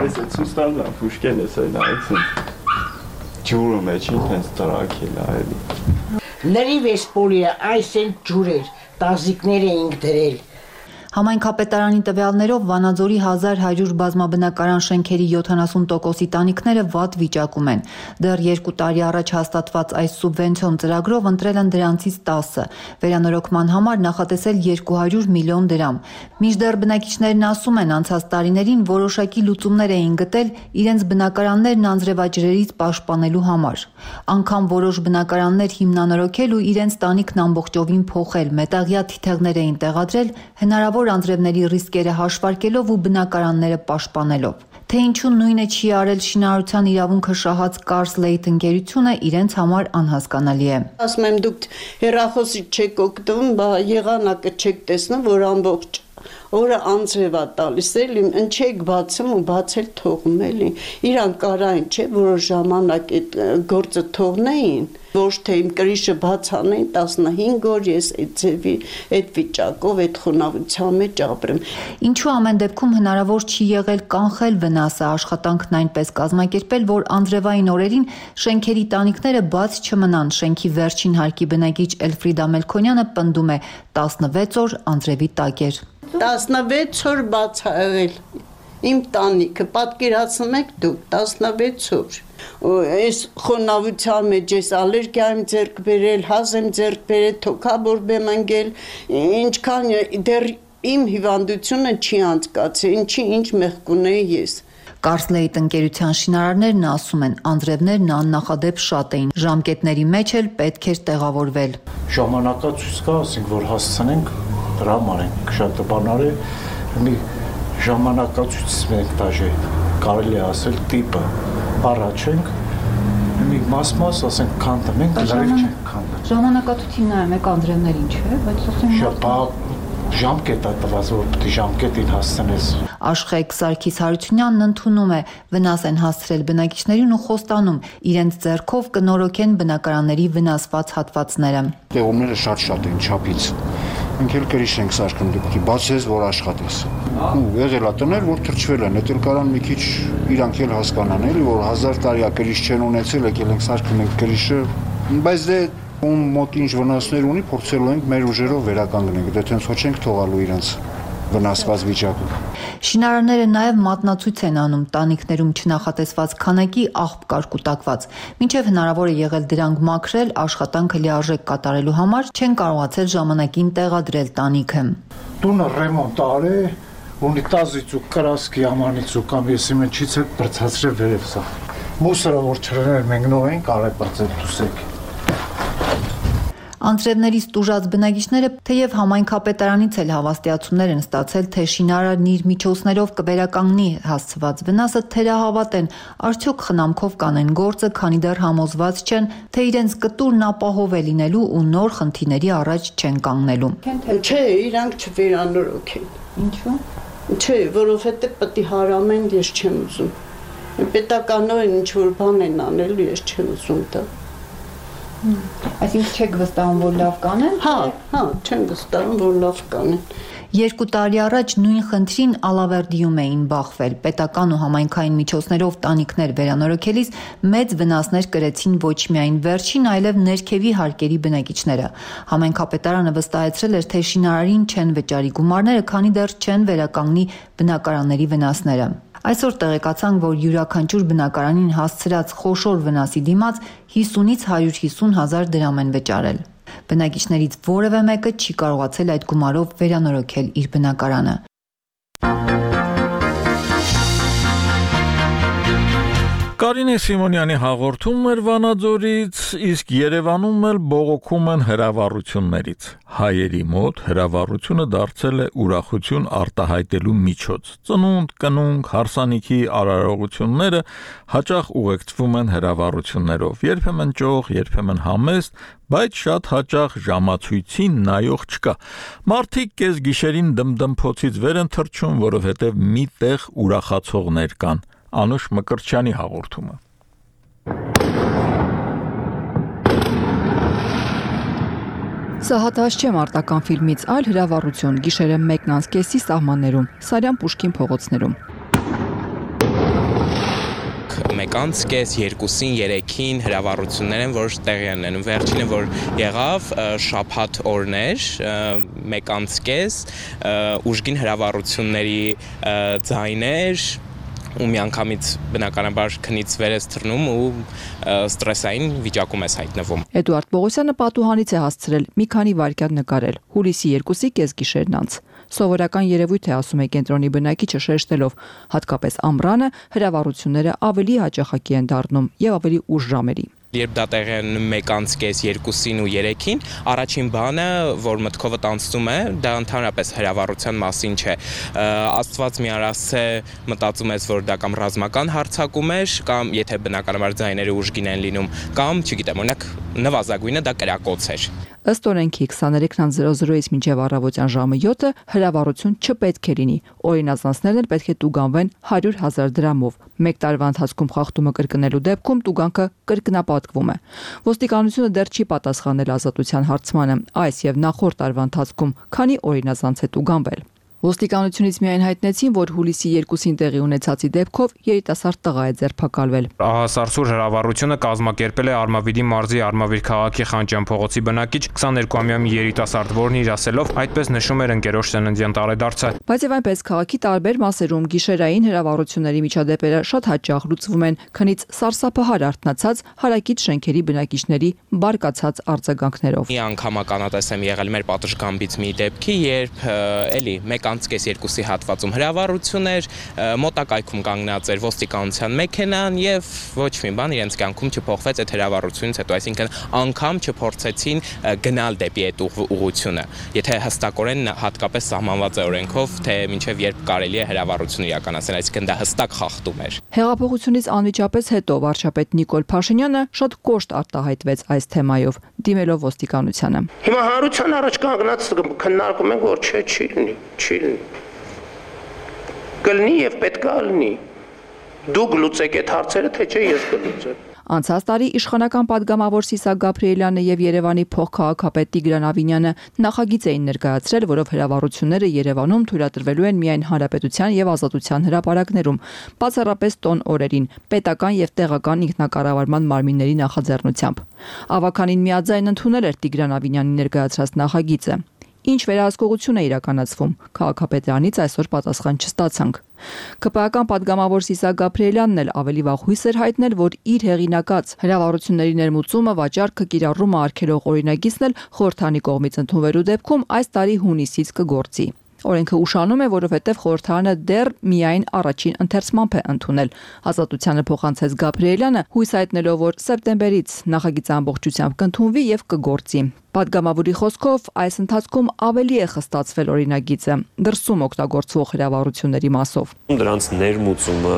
էս է ցուստանն է, ֆուշկեն էս է նայեց սենց ջուրը մեջին հենց տրակել է էլի։ Լրիվ էս պոլիը այս են ջուրեր, տազիկներ էինք դրել։ Համայնքապետարանի տվյալներով Վանաձորի հազար հարյուր բազմաբնակարան շենքերի յոթանասուն տոկոսի տանիքները վատ վիճակում են։ Դեռ երկու տարի առաջ հաստատված այս սուբվենցիոն ծրագրով ընտրել են դրանցից տասը, վերանորոգման համար նախատեսել երկու հարյուր միլիոն դրամ։ Մինչդեռ բնակիչներն ասում են, անցած տարիներին որոշակի լուծումներ էին գտել իրենց բնակարաններն անձրևաջրերից պաշտպանելու համար։ Անգամ որոշ բնակարաններ հիմնանորոգել ու իրենց տանիքն ամբողջովին փոխել, մետաղյա թիթեղներ էին տեղադրել, հնարավոր անձրևների ռիսկերը հաշվարկելով ու բնակարանները պաշտպանելով։ Թե ինչու նույնը չի արել շինարարության իրավունքը շահած Կարսլեյթ ընկերությունը իրենց համար անհասկանալի է։ Ասում եմ դուք հեռախոսի չեք օգտվում, բա եղանակը չեք տեսնում, որ ամբողջ օրը անձրև է տալիս էլի, ընչեք բացում ու բացել թողում էլի։ Իրան կարային չէ, որոշ ժամանակ այդ գործը թողնեին, ոչ թե իմ կրիշը բաց անեին տասնհինգ օր ես այդ ձևի, այդ վիճակով, այդ խոնավության մեջ ապրեմ։ Ինչու ամեն դեպքում հնարավոր չի եղել կանխել վնասը, աշխատանքն այնպես կազմակերպել, որ անձրևային օրերին շենքերի տանիքները բաց չմնան։ Շենքի վերջին հարկի բնակիչ Էլֆրիդա Մելքոնյանը պնդում է, տասնվեց օր անձրևի տակ էր։ տասնվեց օր բաց ա եղել իմ տանիքը, պատկերացնում եք դուք, տասնվեց օր։ Այս խոնավության մեջ ես ալերգիա եմ ձեռք բերել, հազ եմ ձեռք բերել, թոքաբորբ եմ ընկել, ինչքան դեռ իմ հիվանդությունը չի անցկացել, ինչի ինչ մեղք ունեի ես։ Կարսլեյթ ընկերության շինարարներն ասում են, անձրևներն աննախադեպ շատ էին, ժամկետների մեջ էլ պետք էր տեղավորվել։ Ժամանակացույց կա, ասենք, որ հասցնենք դրա համար ենք շատ բանարը մի ժամանակացույց մենք դաժե կարելի է ասել տիպը առաջ ենք մի մաս-մաս ասենք քանդենք լավ չենք քանդել ժամանակացույցին նայում եք անձրևներին չէ բայց ասենք ժամկետ է տված որ պետք է ժամկետին հասցնես Աշխեգ Սարգիս Հարությունյանն ընդունում է վնաս են հասցրել բնակիչներին ու խոստանում իրենց ձեռքով կնորոգեն բնակարանների վնասված հատվածները Տեղումները շատ-շատ են չափից Մենք էլ կրիշ ենք սարքում դեպքի բացես, որ աշխատես։ Ու եղել է տներ, որ թրջվել են, էդ էլ կարան մի քիչ իրանք էլ հասկանան, էլի որ հազար տարի կրիշ չեն ունեցել, եկել ենք սարքում ենք կրիշը, բայց դե ում մոտ ինչ վնասներ ունի, փորձելու ենք մեր ուժերով վերականգնենք, դե տենց ոչ ենք թողալու իրանց։ վնասված վիճակում։ Շինարարները նաև մատնացույց են անում տանիքներում չնախատեսված քանակի աղբ կար կուտակված։ Մինչև հնարավոր է եղել դրանք մաքրել, աշխատանքը լիարժեք կատարելու համար չեն կարողացել ժամանակին տեղադրել տանիքը։ Տունը ռեմոնտ արել, ունիտազից ու կրասկի ամանից ու կամ եսի մեջից է բրցացրել վերև սա։ Մուսորը որ չրներ մենք նոր ենք արել բրցել դուսեք։ Անձրևներից տուժած բնակիչները թեև համայնքապետարանից էլ հավաստիացումներ են ստացել, թե շինարարն իր միջոցներով կվերականգնի հասցված վնասը, թերահավատ են, արդյոք խնամքով կանեն գործը, քանի դեռ համոզված չեն, թե իրենց կտուրն ապահով է լինելու ու նոր խնդիրների առաջ չեն կանգնելու։ Չէ, իրանք չվերանորոգ են։ Ինչու՞։ Չէ, որովհետև պետք է հարամեն, ես չեմ ուզում։ Պետականորեն ինչ որ բան են անելու, ես չեմ ուզում դա։ Այսինքն չեք վստահում, որ լավ կանեն։ Հա, հա, չեմ վստահում, որ լավ կանեն։ Երկու տարի առաջ նույն խնդրին Ալավերդիում էին բախվել։ Պետական ու համայնքային միջոցներով տանիքներ վերանորոգելիս մեծ վնասներ կրեցին ոչ միայն վերջին, այլև ներքևի հարկերի բնակիչները։ Համայնքապետարանը վստահեցրել էր, թե շինարարին չեն վճարի գումարները, քանի դեռ չեն վերականգնի բնակարանների վնասները։ Այսօր տեղեկացանք, որ յուրաքանչյուր բնակարանին հասցրած խոշոր վնասի դիմաց հիսունից հարյուր հիսուն հազար դրամ են վճարել։ Բնակիչներից որևէ մեկը չի կարողացել այդ գումարով վերանորոգել իր բնակարանը։ Կարինե Սիմոնյանի հաղորդումն էր Վանաձորից, իսկ Երևանում էլ բողոքում են հրավառություններից։ Հայերի մոտ հրավառությունը դարձել է ուրախություն արտահայտելու միջոց։ Ծնունդ, կնունկ, հարսանիքի արարողությունները հաճախ ուղեկցվում են հրավառություններով, երբեմն ճոխ, երբեմն համեստ, բայց շատ հաճախ ժամացույցին նայող չկա։ Մարդիկ կես գիշերին դմդմփոցից վեր են թռչում, որովհետև մի տեղ ուրախացողներ կան։ Անուշ Մկրտչյանի հաղորդումը։ Սա հատված չէ մարտական ֆիլմից, այլ հրավառություն գիշերը մեկն անց կեսի սահմաններում, Սարյան Պուշկին փողոցներում։ Մեկանց կես, երկուսին, երեքին հրավառություններ են, որ տեղի են ունենում։ Վերջինը, որ եղավ, շաբաթ օրներ, մեկանց կես, ուժգին հրավառությունների ձայներ, ու միանգամից բնականաբար քնից վեր ես թռնում ու ստրեսային վիճակում ես հայտնվում։ Էդուարդ Պողոսյանը պատուհանից է հասցրել մի քանի վայրկյան նկարել, հուլիսի երկուսի կեսգիշերն անց։ Սովորական երևույթ է, ասում է կենտրոնի բնակիչը շեշտելով, հատկապես ամռանը հրավառությունները ավելի հաճախակի են դառնում եւ ավելի ուշ ժամերի։ Երբ դա տեղի է մեկ անց կես, երկուսին ու երեքին, առաջին բանը, որ մտքովդ անցնում է, դա ընդհանրապես հրավառության մասին չէ։ Աստված մի արասե մտածում ես, որ դա կամ ռազմական հարձակում էր, կամ եթե բնականաբար ձայները ուժգին են լինում, կամ, չգիտեմ, օրինակ նվազագույնը դա կրակոց էր։ Ըստ օրենքի քսաներեքն զրոզրոից մինչև առավոտյան ժամը յոթը հրավառություն չպետք է լինի։ Օրինացանցներն էլ պետք է տուգանվեն հարյուր հազար դրամով։ Մեկ տարվա ընթացքում խախտումը կրկնելու դեպքում տուգանքը կրկնապատկվում է։ Ոստիկանությունը դեռ չի պատասխանել ազատության հարցմանը, այս եւ նախորդ տարվա ընթացքում քանի օրինացանց է տուգանվել։ Ոստիկանությունից միայն հայտնեցին, որ հուլիսի երկուսին տեղի ունեցածի դեպքով երիտասարդ տղա է ձերբակալվել։ Ահասարսուր հրավառությունը կազմակերպել է Արմավիրի մարզի Արմավիր քաղաքի Խանջյան փողոցի բնակիչ քսաներկուամյա մի երիտասարդ, որն իր ասելով այդպես նշում էր ընկերոջ ծննդյան տարեդարձը։ Բայց եւ այնպես քաղաքի տարբեր մասերում գիշերային հրավառությունների միջադեպերը շատ հաճախ լուծվում են քնից սարսափահար արթնացած հարակից շենքերի բնակիչների բարկացած արձագանքներով։ Մի անգամ ականատես եմ եղել մեր պատշգամբից մի դեպքի, երբ էլի մեկ անց կես երկուսի հատվածում հրավառություն էր, մոտակայքում կանգնած էր ոստիկանության մեքենան եւ ոչ մի բան իրենց կյանքում չփոխվեց այդ հրավառությունից հետո, այսինքն անգամ չփորձեցին գնալ դեպի այդ ուղղությունը, եթե հստակորեն հատկապես սահմանված է օրենքով, թե մինչեւ երբ կարելի է հրավառություն իրականացնել, այսինքն դա հստակ խախտում էր։ Հեղափոխությունից անմիջապես հետո վարչապետ Նիկոլ Փաշինյանը շատ կոշտ արտահայտվեց այս թեմայով, դիմելով ոստիկանությանը։ Հիմա հանրության առաջ կանգնած քննարկում ենք, որ չէ, չի լինի, չի կլինի եւ պետք է լինի։ Դուք լուծեք այդ հարցերը, թե չէ ես կլուծեմ։ Անցած տարի իշխանական падգամավոր Սիսակ Գաբրիելյանը եւ Երևանի փոխքաղաքապետ Տիգրան Ավինյանը նախագիծ էին ներկայացրել, որով հրավառությունները Երևանում թույլատրվելու են միայն հանրապետության եւ ազատության հրապարակներում, բացառապես տոն օրերին, պետական եւ տեղական ինքնակառավարման մարմինների նախաձեռնությամբ։ Ավականին միաձայն ընդունել էր Տիգրան Ավինյանի ներկայացրած նախագիծը։ Ինչ վերահսկողություն է իրականացվում, քաղաքապետարանից այսօր պատասխան չստացանք։ ՔՊԱ-ական падգամավոր Սիսակ Գաբրիելյանն էլ ավելի վաղ հույս էր հայտնել, որ իր հեղինակած հրավառությունների ներմուծումը, վաճառքը, կիրառումը արգելող օրինագիծն էլ խորհրդանի կողմից ընդունվելու դեպքում այս տարի հունիսից կգործի։ Օրենքը ուշանում է, որովհետև խորհրդարանը դեռ միայն առաջին ընթերցմամբ է ընդունել։ Ազատությանը փոխանցեց Գաբրիելյանը, հույս հայտնելով, որ սեպտեմբերից նախագիծը ամբողջությամբ կընդունվի եւ կգործի։ Պատգամավորի խոսքով այս ընթացքում ավելի է խստացվել օրինագիծը դրսում օգտագործվող հրավառությունների մասով։ Դրանց ներմուծումը,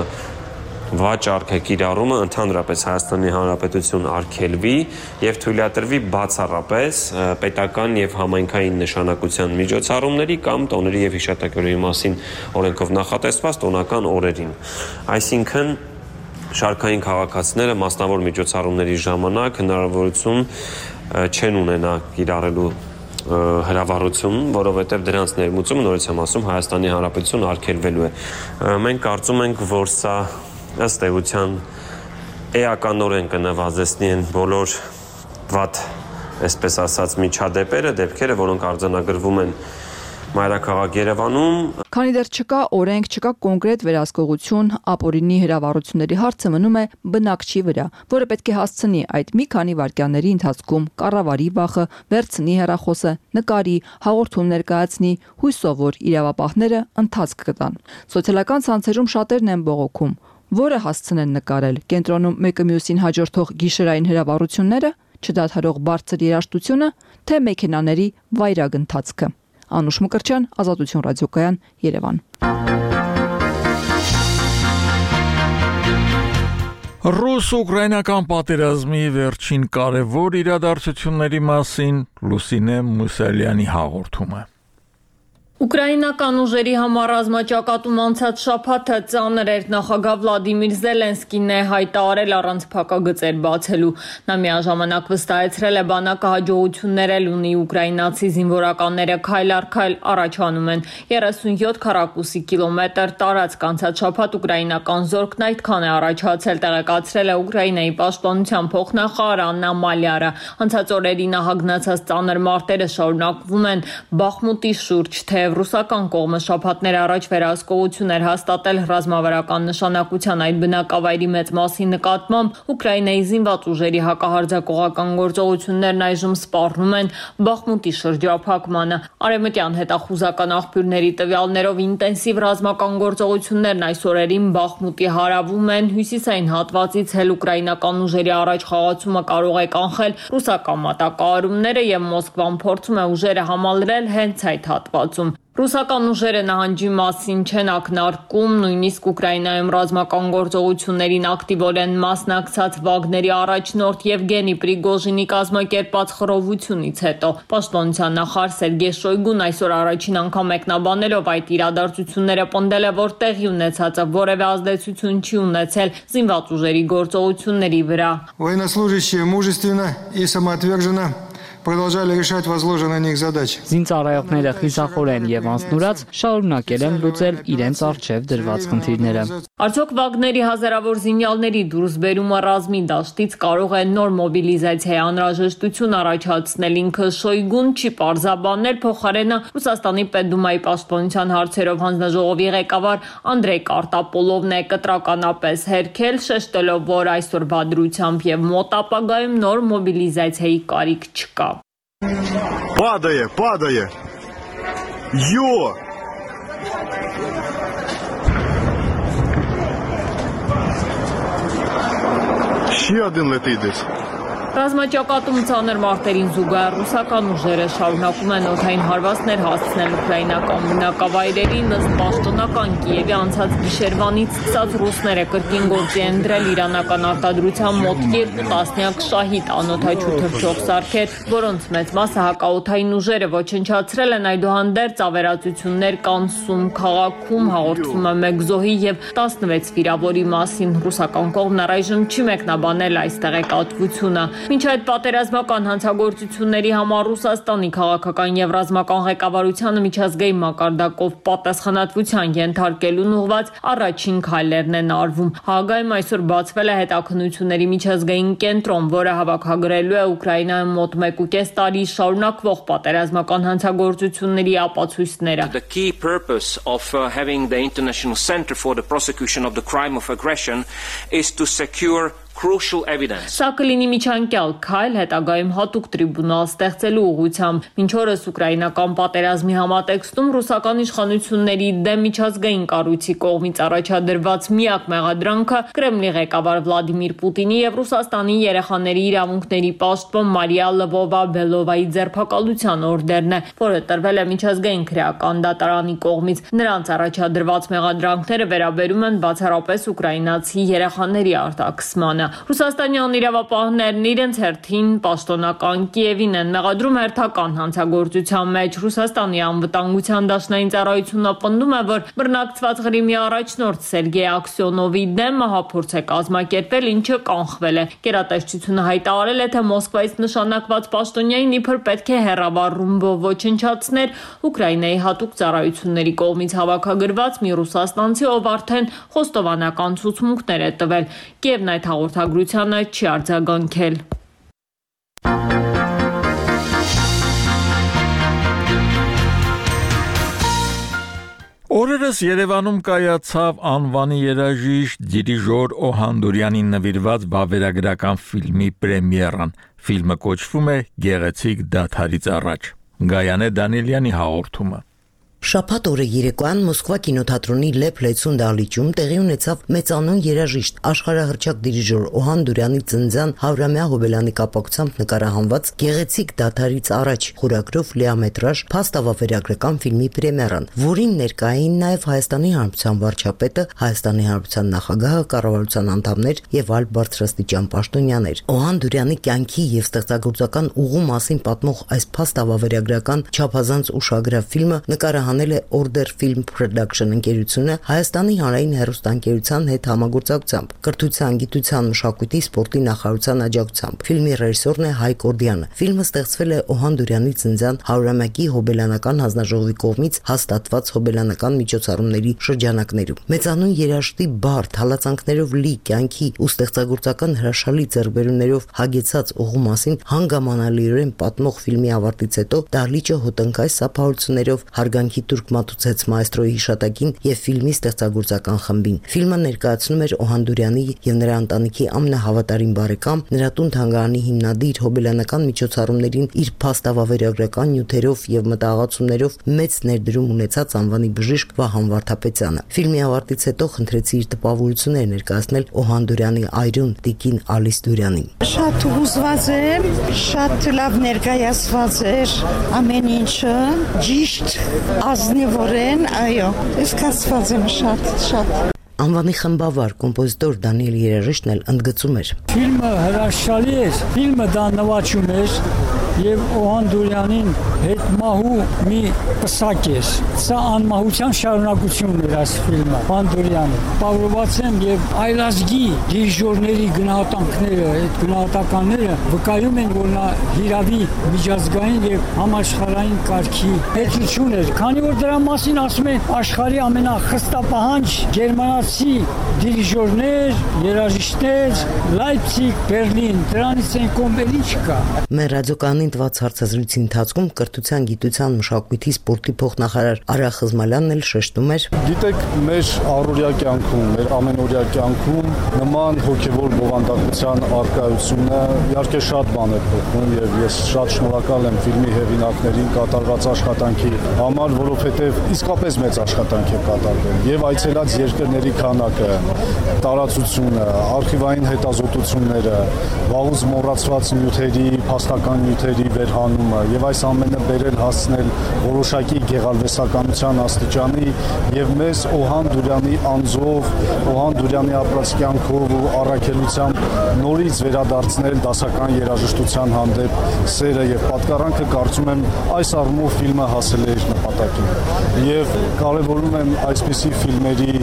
վաճառքը, կիրառումը ընդհանրապես Հայաստանի Հանրապետություն արգելվի եւ թույլատրվի բացառապես պետական եւ համայնքային նշանակության միջոցառումների կամ տոների եւ հիշատակաների մասին օրենքով նախատեսված տոնական օրերին։ Այսինքն շարքային քաղաքացիները մասնավոր միջոցառումների ժամանակ հնարավորություն չեն ունենա կիրառելու հրավառություն, որովհետև դրանց ներմուծումը նորից եմ ասում Հայաստանի Հանրապետություն արգելվելու է։ Մենք կարծում ենք, որ սա ըստ էության էականորեն կնվազեցնի են բոլոր վատ, այսպես ասած, միջադեպերը, դեպքերը, որոնք արձանագրվում են մայրաքաղաք Երևանում։ Քանի դեռ չկա օրենք, չկա կոնկրետ վերահսկողություն, ապօրինի հրավառությունների հարցը մնում է բնակչի վրա, որը պետք է հասցնի այդ մի քանի վայրկյանների ընթացքում կառավարի վախը, վերցնի հեռախոսը, նկարի, հաղորդում ներկայացնի, հույսով, որ իրավապահները ընթացք կտան։ Սոցիալական ցանցերում շատերն են բողոքում, որը հասցնեն նկարել, կենտրոնում մեկը մյուսին հաջորդող գիշերային հրավառությունները, չդադարող բարձր երաժշտությունը, թե մեքենաների վայրագ ընթացքը։ Անուշ Մկրտչյան, Ազատություն ռադիոկայան, Երևան։ Ռուս-ուկրաինական պատերազմի վերջին կարևոր իրադարձությունների մասին Լուսինե Մուսալյանի հաղորդումը։ Ուկրաինական ուժերի համար ռազմաճակատում անցած շաբաթը ծանր էր, նախագահ Վլադիմիր Զելենսկին է հայտարարել առանց փակագծեր բացելու։ Նա միաժամանակ վստահեցրել է բանակը հաջողություններ էլ ունի, ուկրաինացի զինվորականները քայլ առ քայլ առաջանում են։ երեսունյոթ քառակուսի կիլոմետր տարածք անցած շաբաթ ուկրաինական զորքն այդքան է առաջացել, տեղեկացրել է Ուկրաինայի պաշտպանության փոխնախարար Աննա Մալյարը։ Անցած օրերի նահագնացած ծանր մարտերը շարունակվում են Բախմուտի շուրջ, թե ռուսական կողմը շաբաթներ առաջ վերահսկողություն էր հաստատել ռազմավարական նշանակության այդ բնակավայրի մեծ մասի նկատմամբ, Ուկրաինայի զինված ուժերի հակահարձակողական գործողություններն այժմ սպառնում են Բախմուտի շրջափակմանը։ Արևմտյան հետախուզական աղբյուրների տվյալներով ինտենսիվ ռազմական գործողություններն այս օրերին Բախմուտի հարավում են, հյուսիսային հատվածից էլ ուկրաինական ուժերի առաջ խաղացումը կարող է կանխել ռուսական մատակարարումները եւ Մոսկվան փորձում է ուժերը համալրել հենց այդ հատվածում։ Ռուսական ուժերը նահանջի մասին չեն ակնարկում, նույնիսկ Ուկրաինայում ռազմական գործողություններին ակտիվորեն մասնակցած Վագների առաջնորդ Եվգենի Պրիգոժինի կազմակերպած խռովությունից հետո պաշտպանության նախարար Սերգեյ Շոյգուն այսօր առաջին անգամ մեկնաբանելով այդ իրադարձությունները պնդել է, որ տեղի ունեցածը որևէ ազդեցություն չի ունեցել զինված ուժերի գործողությունների վրա։ Военнослужащие мужественно и самоотверженно продолжали решать возложенные на них задачи. Զինծառայողները խիզախորեն եւ անձնուրաց շարունակել են լուծել իրենց առջև դրված խնդիրները։ Արդյոք Վագների հազարավոր զինյալների դուրսբերումը ռազմի դաշտից կարող է նոր մոբիլիզացիայի անհրաժեշտություն առաջացնել, ինքը Շոյգուն չի պարզաբանել, փոխարենը Ռուսաստանի Պետդումայի պաշտպանության հարցերով հանձնաժողովի ղեկավար Անդրեյ Կարտապոլովն է կտրականապես հերքել, շեշտելով, որ այսօրվա դրությամբ եւ մոտ ապագայում նոր մոբիլիզացիայի կարիք չկա։ Падає, падає. Йо! Ще один летить десь. Ռազմաճակատում ծանր մարտերին զուգահեռ ռուսական ուժերը շարունակում են օդային հարվածներ հասցնել ուկրաինական բնակավայրերին, ըստ պաշտոնական Կիևի անցած գիշերվանից սկսած ռուսները կրկին գործի են դրել իրանական արտադրության մոտ երկու տասնյակ շահիդ անօդաչու թռչող սարքեր, որոնց մեծ մասը հակաօդային ուժերը ոչնչացրել են, այդուհանդերձ ավերածություններ կան Սում քաղաքում, հաղորդվում է մեկ զոհի եւ տասնվեց վիրավորի մասին։ Ռուսական կողմն առայժմ չի մեկնաբանել այս տեղեկատվությունը։ Մինչ այդ պատերազմական հանցագործությունների համար Ռուսաստանի քաղաքական եւ ռազմական ղեկավարությանը միջազգային մակարդակով պատասխանատվության ենթարկելուն ուղղված առաջին քայլերն են արվում։ Հաագայում այսօր բացվել է հետաքննությունների միջազգային կենտրոն, որը հավաքագրելու է Ուկրաինայում մոտ մեկ ու կես տարի շարունակվող պատերազմական հանցագործությունների ապացույցները։ The key purpose of uh, having the International Center for the Prosecution of the Crime of Aggression is to secure crucial evidence. Սա կլինի միջանկյալ քայլ հետագայում հատուկ տրիբունալ ստեղծելու ուղղությամբ։ Մինչ օրս ուկրաինական պատերազմի համատեքստում ռուսական իշխանությունների դեմ միջազգային կառույցի կողմից առաջադրված միակ մեղադրանքը Կրեմլի ղեկավար Վլադիմիր Պուտինի եւ Ռուսաստանի երեխաների իրավունքների պաշտպան Մարիա Լվովա-Բելովայի ձերբակալության օրդերն է, որը տրվել է միջազգային քրեական դատարանի կողմից։ Նրանց առաջադրված մեղադրանքները վերաբերում են բացառապես ուկրաինացի երեխաների արտաքսմանը։ Ռուսաստանյան իրավապահներն իրենց հերթին պաշտոնական Կիևին են մեղադրում հերթական հանցագործության մեջ։ Ռուսաստանի անվտանգության դաշնային ծառայությունը պնդում է, որ բռնակցված Ղրիմի առաջնորդ Սերգեյ Աքսյոնովի դեմ մահափորձ է կազմակերպել, ինչը կանխվել է։ Գերատեսչությունը հայտարարել է, թե Մոսկվայից նշանակված պաշտոնյային իբր պետք է հեռավար ռումբով ոչնչացներ Ուկրաինայի հատուկ ծառայությունների կողմից հավաքագրված մի ռուսաստանցի, ով արդեն խոստովանական ցուցմունքներ է տվել։ Կիևն այդ հաղորդագրությանը չի արձագանքել։ Օրերս Երևանում կայացավ անվանի երաժիշտ դիրիժոր Օհանդուրյանին նվիրված վավերագրական ֆիլմի պրեմիերան։ Ֆիլմը կոչվում է Գեղեցիկ դադարից առաջ։ Գայանե Դանիելյանի հաղորդումը։ Շաբաթ օրը երեկոյան Մոսկվա կինոթատրոնի Լեփ Լեցուն դահլիճում տեղի ունեցավ մեծանուն երաժիշտ աշխարհահռչակ դիրիժոր Օհանդուրյանի ծննդյան հարյուրամյա հոբելյանի կապակցությամբ նկարահանված Գեղեցիկ դադարից առաջ խորագրով լիամետրաժ փաստավավերագրական ֆիլմի պրեմիերան, որին ներկա էին նաև Հայաստանի Հանրապետության վարչապետը, Հայաստանի Հանրապետության նախագահը, կառավարության անդամներ եւ այլ բարձրաստիճան պաշտոնյաներ։ Օհանդուրյանի կյանքի եւ ստեղծագործական ուղու մասին պատմող այս փաստավավերագրական չափազանց ուշագրավ ֆիլմը նկարահանվել է Order Film Production ընկերությունը Հայաստանի հանրային հեռուստաընկերության հետ համագործակցությամբ, կրթության, գիտության, մշակույթի, սպորտի նախարարության աջակցությամբ։ Ֆիլմի ռեժիսորն է Հայկ Օրդյանը։ Ֆիլմը ստեղծվել է Օհանդուրյանի ծննդյան հարյուրամյակի հոբելյանական հանձնաժողովի կողմից հաստատված հոբելյանական միջոցառումների շրջանակներում։ Մեծանուն երաժշտի բարդ հալածանքներով լի կյանքի ու ստեղծագործական հրաշալի ձեռքբերումներով հագեցած ուղու մասին հանգամանալիորեն պատմող ֆիլմի ավարտից հետո դահլիճը հոտնկայ սափահարություններով հարգանքի Թուրք մատուցեց մայստրոյի հիշատակին եւ ֆիլմի ստեղծագործական խմբին։ Ֆիլմը ներկայացնում էր Օհանդուրյանի եւ նրա ընտանիքի ամենահավատարիմ բարեկամ, նրա տուն թանգարանի հիմնադիր, հոբելյանական միջոցառումներին իր փաստավավերագրական նյութերով եւ մտահղացումներով մեծ ներդրում ունեցած անվանի բժիշկ Վահան Վարդապետյանը։ Ֆիլմի ավարտից հետո խնդրեցի իր տպավորությունները ներկայացնել Օհանդուրյանի այրուն տիկին Ալիս Դուրյանին։ Շատ հուզված եմ, շատ լավ ներկայացված էր ամեն ինչը, ճիշտ ազնիվորեն, այո, սկսված եմ շատ, շատ։ Անվանի խմբավար կոմպոզիտոր Դանիել Երաժիշտն էլ ընդգծում էր. Ֆիլմը հրաշալի էր, ֆիլմը դա նվաճում էր եւ Օհանդուրյանին հետ մահու մի պսակ էր։ Սա անմահության շարունակությունն էր այս ֆիլմը։ Օհանդուրյանը պարոված եմ եւ այլազգի դիրիժորների գնահատանքները, այդ գնահատականները վկայում են, որ նա հիրավի միջազգային եւ համաշխարհային կարգի հետություն էր։ Քանի որ դրա մասին ասում են աշխարհի ամենախստապահանջ գերմանացի դիրիժորներ, երաժիշտներ, Լայպցիգ, Բերլին, դրանից են կոմբել ինչ կա։ Մեր ռադիոկայանին տված հարցազրույցի ընթացքում կրթության, գիտության, մշակույթի, սպորտի փոխնախարար Արա Խզմալյանն էլ շեշտում էր. Գիտեք, մեր առօրյա կյանքում, մեր ամենօրյա կյանքում նման հոգևոր բովանդակության առկայությունը իհարկե շատ բան է փոխում եւ ես շատ շնորհակալ եմ ֆիլմի հեղինակներին կատարված աշխատանքի համար, որովհետեւ իսկապես մեծ աշխատանք է կատարվել եւ այցելած երկրների քանակը, տարածությունը, արխիվային հետազոտությունները, վաղուց մոռացված նյութերի, փաստական նյութերի վերհանումը եւ այս ամենը բերել հասնել որոշակի գեղարվեստականության աստիճանի եւ մեզ Օհանդուրյանի անձով, Օհանդուրյանի ապրած կյանքով ու առաքելությամբ նորից վերադարձնել դասական երաժշտության հանդեպ սերը եւ պատկառանքը, կարծում եմ այս առումով ֆիլմը հասել է իր նպատակին։ Եվ կարևորում եմ այսպիսի ֆիլմերի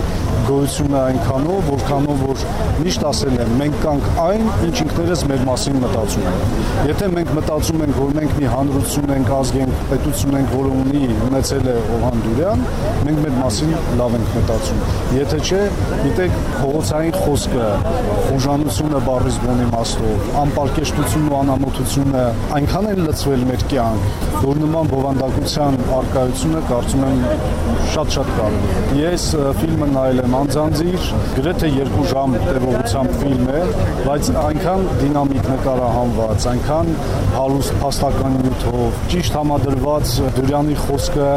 գոյությունը այնքանով, որքանով որ միշտ ասել եմ, մենք կանք այն, ինչ ինքներս մեր մասին մտածում ենք։ Եթե մենք մտածում ենք, որ մենք մի հանրություն ենք, ազգ ենք, պետություն ենք, որը ունի ունեցել է Օհան Դուրյան, մենք մեր մասին լավ ենք մտածում։ Եթե չէ, գիտեք, փողոցային խոսքը, խոժանությունը բառից բուն իմաստով, անպարկեշտությունն ու անամոթությունը այնքան են լցվել մեր կյանք, որ նման բովանդակության արկայությունը կարծում եմ շատ-շատ կարևոր է։ Ես ֆիլմը նայել եմ անձանձիր, գրեթե երկու ժամ տևողությամբ ֆիլմ է, բայց այնքան դինամիկ նկարահանված, այնքան հարուստ փաստական նյութով, ճիշտ համադրված Դուրյանի խոսքը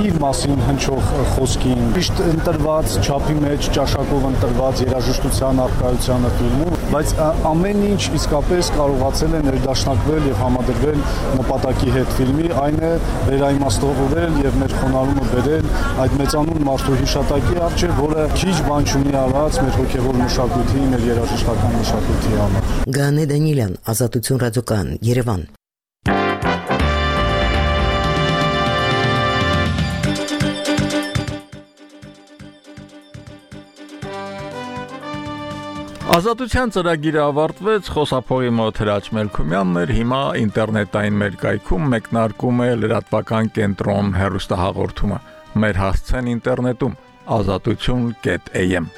իր մասին հնչող խոսքին, ճիշտ ընտրված չափի մեջ ճաշակով ընտրված երաժշտության արկայությանը ֆիլմում, բայց ամեն ինչ իսկապես կարողացել է ներդաշնակվել եւ համադրվել նպատակի հետ ֆիլմի, այն է վերաիմաստավորել եւ մեր խոնարհումը բերել այդ մեծանուն մարդու հիշատակի առջեւ, որը քիչ բան չունի արած մեր հոգեվոր մշակույթի, մեր երաժշտական մշակույթի համար։ Գանե Դանիելյան, Ազատություն ռադիոկայան, Երևան։ Ազատության ծրագիրը ավարտվեց, խոսափողի մոտ Հրաչ Մելքումյանն էր, հիմա ինտերնետային մեր կայքում մեկնարկում է լրատվական կենտրոն հեռուստահաղորդումը։ Մեր հասցեն ինտերնետում ազատություն կետ am